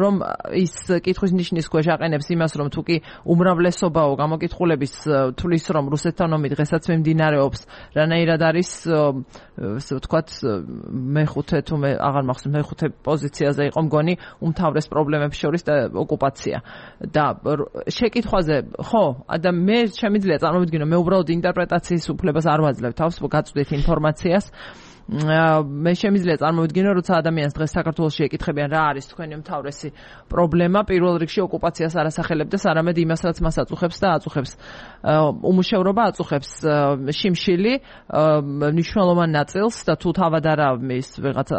[SPEAKER 1] რომ ის კითხვის ნიშნის ქვეშ აყენებს იმას რომ თუ კი უმრავლესობაო გამოკითხულების თulis რომ რუსეთთან ომი დღესაც მიმდინარეობს რანაირად არის ვთქვათ მეხუთე თუ აღარ მახსოვს მეხუთე პოზიციაზე იყო მგონი უმთავრეს პრობლემებს შორის და ოკუპაცია და შეკითხვაზე ხო მე შემიძლია წარმოვიდგინო მე უბრალოდ ინტერპრეტაციის უფლებას არ ვაძლევ თავს გაწვდით ინფორმაციას მე შემიძლია წარმოვიდგინო როცა ადამიანს დღეს საქართველოში ეკითხებიან რა არის თქვენი უმთავრესი პრობლემა პირველ რიგში ოკუპაციას არ ასახელებდეს არამედ იმას რაც მას აწუხებს და აწუხებს უმუშევრობა აწუხებს შიმშილი მნიშვნელოვან ნაწილს და თუ თავად არა ის ვიღაცა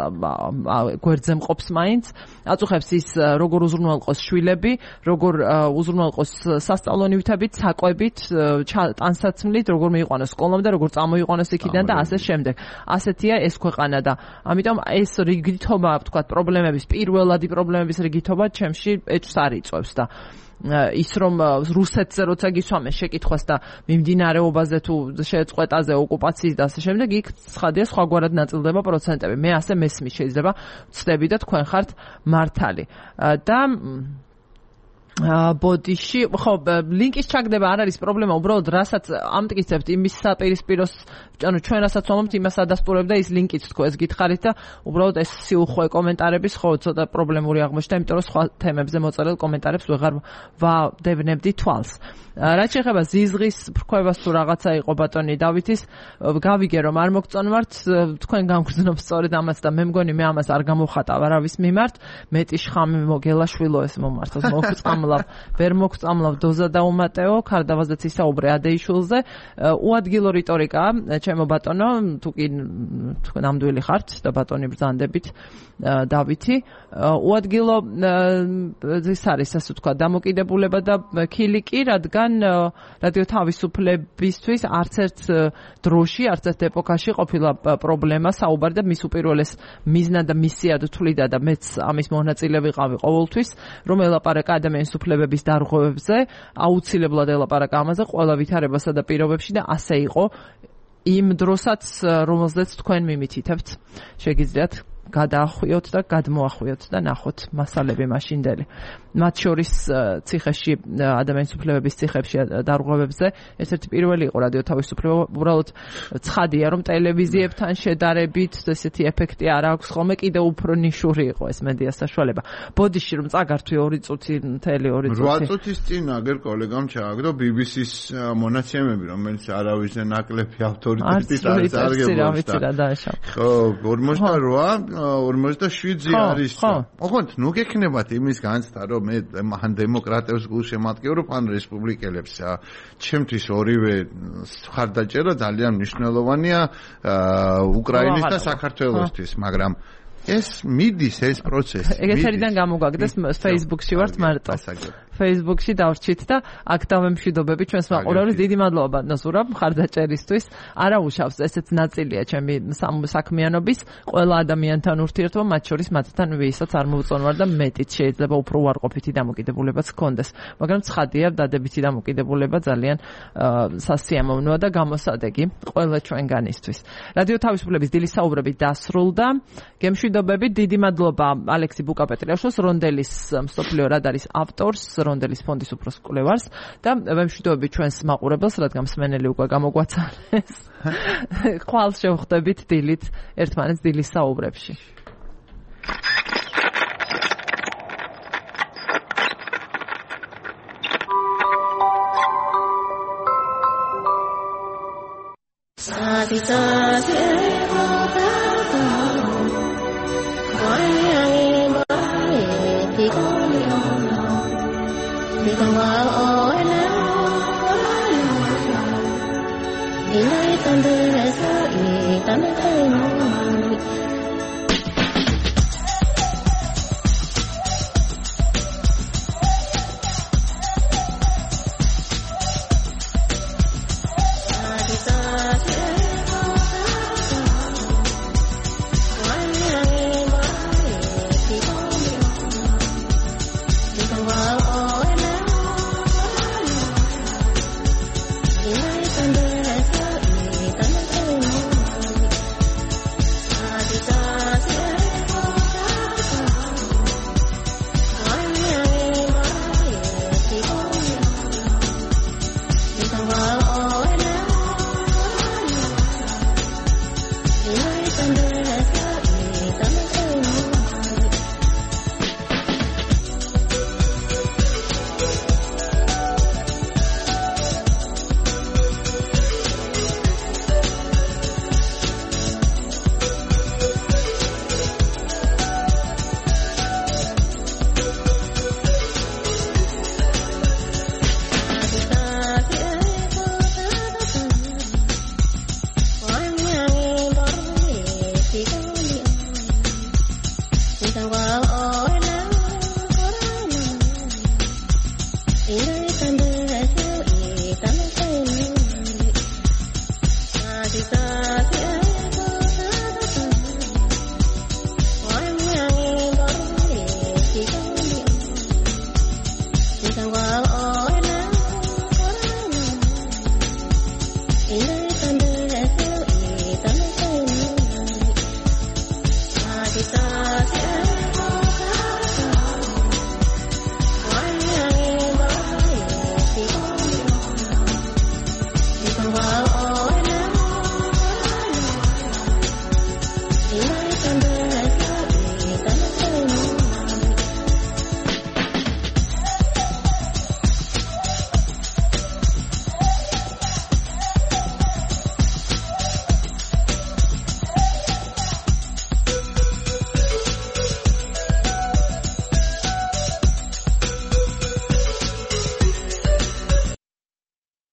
[SPEAKER 1] გვერდზე მყოფს მაინც აწუხებს ის როგორ უზრუნველყოს შვილები როგორ უზრუნველყოს სასწავლო ნივთებით საკვებით ტანსაცმლით როგორ მიიყვანოს სკოლამდე როგორ წამოიყვანოს იქიდან და ასე შემდეგ ასეთია ეს ქვეყანა და ამიტომ ეს რიგითობა ვთქვათ პრობლემების პირველადი პრობლემების რიგითობა ჩემში ეჭვს არ იწვევს და ის რომ რუსეთზე როცა გისვამე შეკითხვას და მიმდინარეობაზე თუ შეწყვეტაზე ოკუპაციის და ასე შემდეგ იქ ცხადია სხვაგვარად ნაწილდება პროცენტები მე ასე მესმის შეიძლება ვცდები და თქვენ ხართ მართალი და ბოდიში ხო ლინკის ჩაგდება არ არის პრობლემა უბრალოდ რასაც ამტკიცებთ იმის საპირისპიროს ანუ ჩვენ რასაც ვამბობთ იმას ადასტურებ და ის ლინკიც თქო ეს გითხარით და უბრალოდ ეს სიუხვე კომენტარების ხო ცოტა პრობლემური აღმოჩნდა იმიტომ რომ სხვა თემებზე მოწერილ კომენტარებს ვეღარ ვადევნებდი თვალს რაც შეეხება ზიზღის ფრქვევას თუ რაღაცა იყო ბატონი დავითის გავიგე რომ არ მოგწონვართ თქვენ გამგრძნობთ სწორედ ამას და მე მგონი მე ამას არ გამოვხატავ არავის მიმართ მეტი შხამი მოგელაშვილო ეს მომართოს მოგწამლავ ვერ მოგწამლავ დოზა და უმატეო ქარდავაზეც ისაუბრე ადეიშვილზე უადგილო რიტორიკა ჩემო ბატონო თუ კი ნამდვილი ხართ და ბატონი ბრძანდებით დავითი უადგილო ეს არის ასე თქვა დამოკიდებულება და ქილიკი რადგან რადიო თავისუფლებისთვის არც ერთ დროში არც ერთ ეპოქაში ყოფილა პრობლემა საუბარი და მის უპირველეს მიზნად და მისიად თვლიდა და მეც ამის მონაწილე ვიყავი ყოველთვის რომ ელაპარაკა ადამიანის უფლებების დარღვევებზე აუცილებლად ელაპარაკა ამაზე ყველა ვითარებასა და პირობებში და ასე იყო იმ დროსაც რომელზეც თქვენ მიმითითებთ შეგიძლიათ გადაახვიოთ და გადმოახვიოთ და ნახოთ მასალები მაშინდელი მათ შორის ციხეში ადამიანის უფლებების ციხეებში დარღვევებზე ერთ-ერთი პირველი იყო რადიო თავისუფლება უბრალოდ ცხადია რომ ტელევიზიებთან შედარებით ესეთი ეფექტი არ აქვს ხოლმე კიდევ უფრო ნიშური იყო ეს მედია საშუალება ბოდიში რომ წაგართვი 2 წუთი მთელი 2 წუთი
[SPEAKER 2] 8 წუთის წინ აგერ კოლეგამ ჩააგდო BBC-ს მონაცემები რომელიც არავისზე ნაკლები ავტორიტეტით არის არგებულს ხო 48 47-ზე არის. ოღონდ ნუ გექნებათ იმის განცდა რომ მე მან დემოკრატებს გულშემატკივრობ ან რესპუბლიკელებს. ჩემთვის ორივე ხარდაჭერა ძალიან მნიშვნელოვანია უკრაინის და საქართველოსთვის, მაგრამ ეს მიდის ეს პროცესი.
[SPEAKER 1] ეგეთერიდან გამოგაგდეს Facebook-ში ვართ მარტო. Facebook-ში დავრჩით და აქ დავემშვიდობები ჩვენს მაყურებლებს. დიდი მადლობა ბატონო მხარდაჭერისთვის. არა უშავს, ესეც ნაწილია ჩემი საქმიანობის. ყველა ადამიანთან ურთიერთობა, მათ შორის მათთან ვისაც არ მოვწონვარ და მეტიც შეიძლება უფრო უარყოფითი დამოკიდებულებაც გქონდეს. მაგრამ ცხადია, დადებითი დამოკიდებულება ძალიან სასიამოვნოა და გამოსადეგი ყველა ჩვენგანისთვის. რადიო თავისუფლების დილის საუბრები დასრულდა. გემშვიდობები, დიდი მადლობა ალექსი ბუკაპეტრიაშვილს, რონდელის მსოფლიო რადარის ავტორს, რონდელის ფონდის უფროს კვლევარს და ვემშვიდობები ჩვენს მაყურებელს, რადგან მსმენელი უკვე გამოგვაცალეს. ხვალ შევხვდებით დილით ერთმანეთს დილის საუბრებში.
[SPEAKER 4] Bye.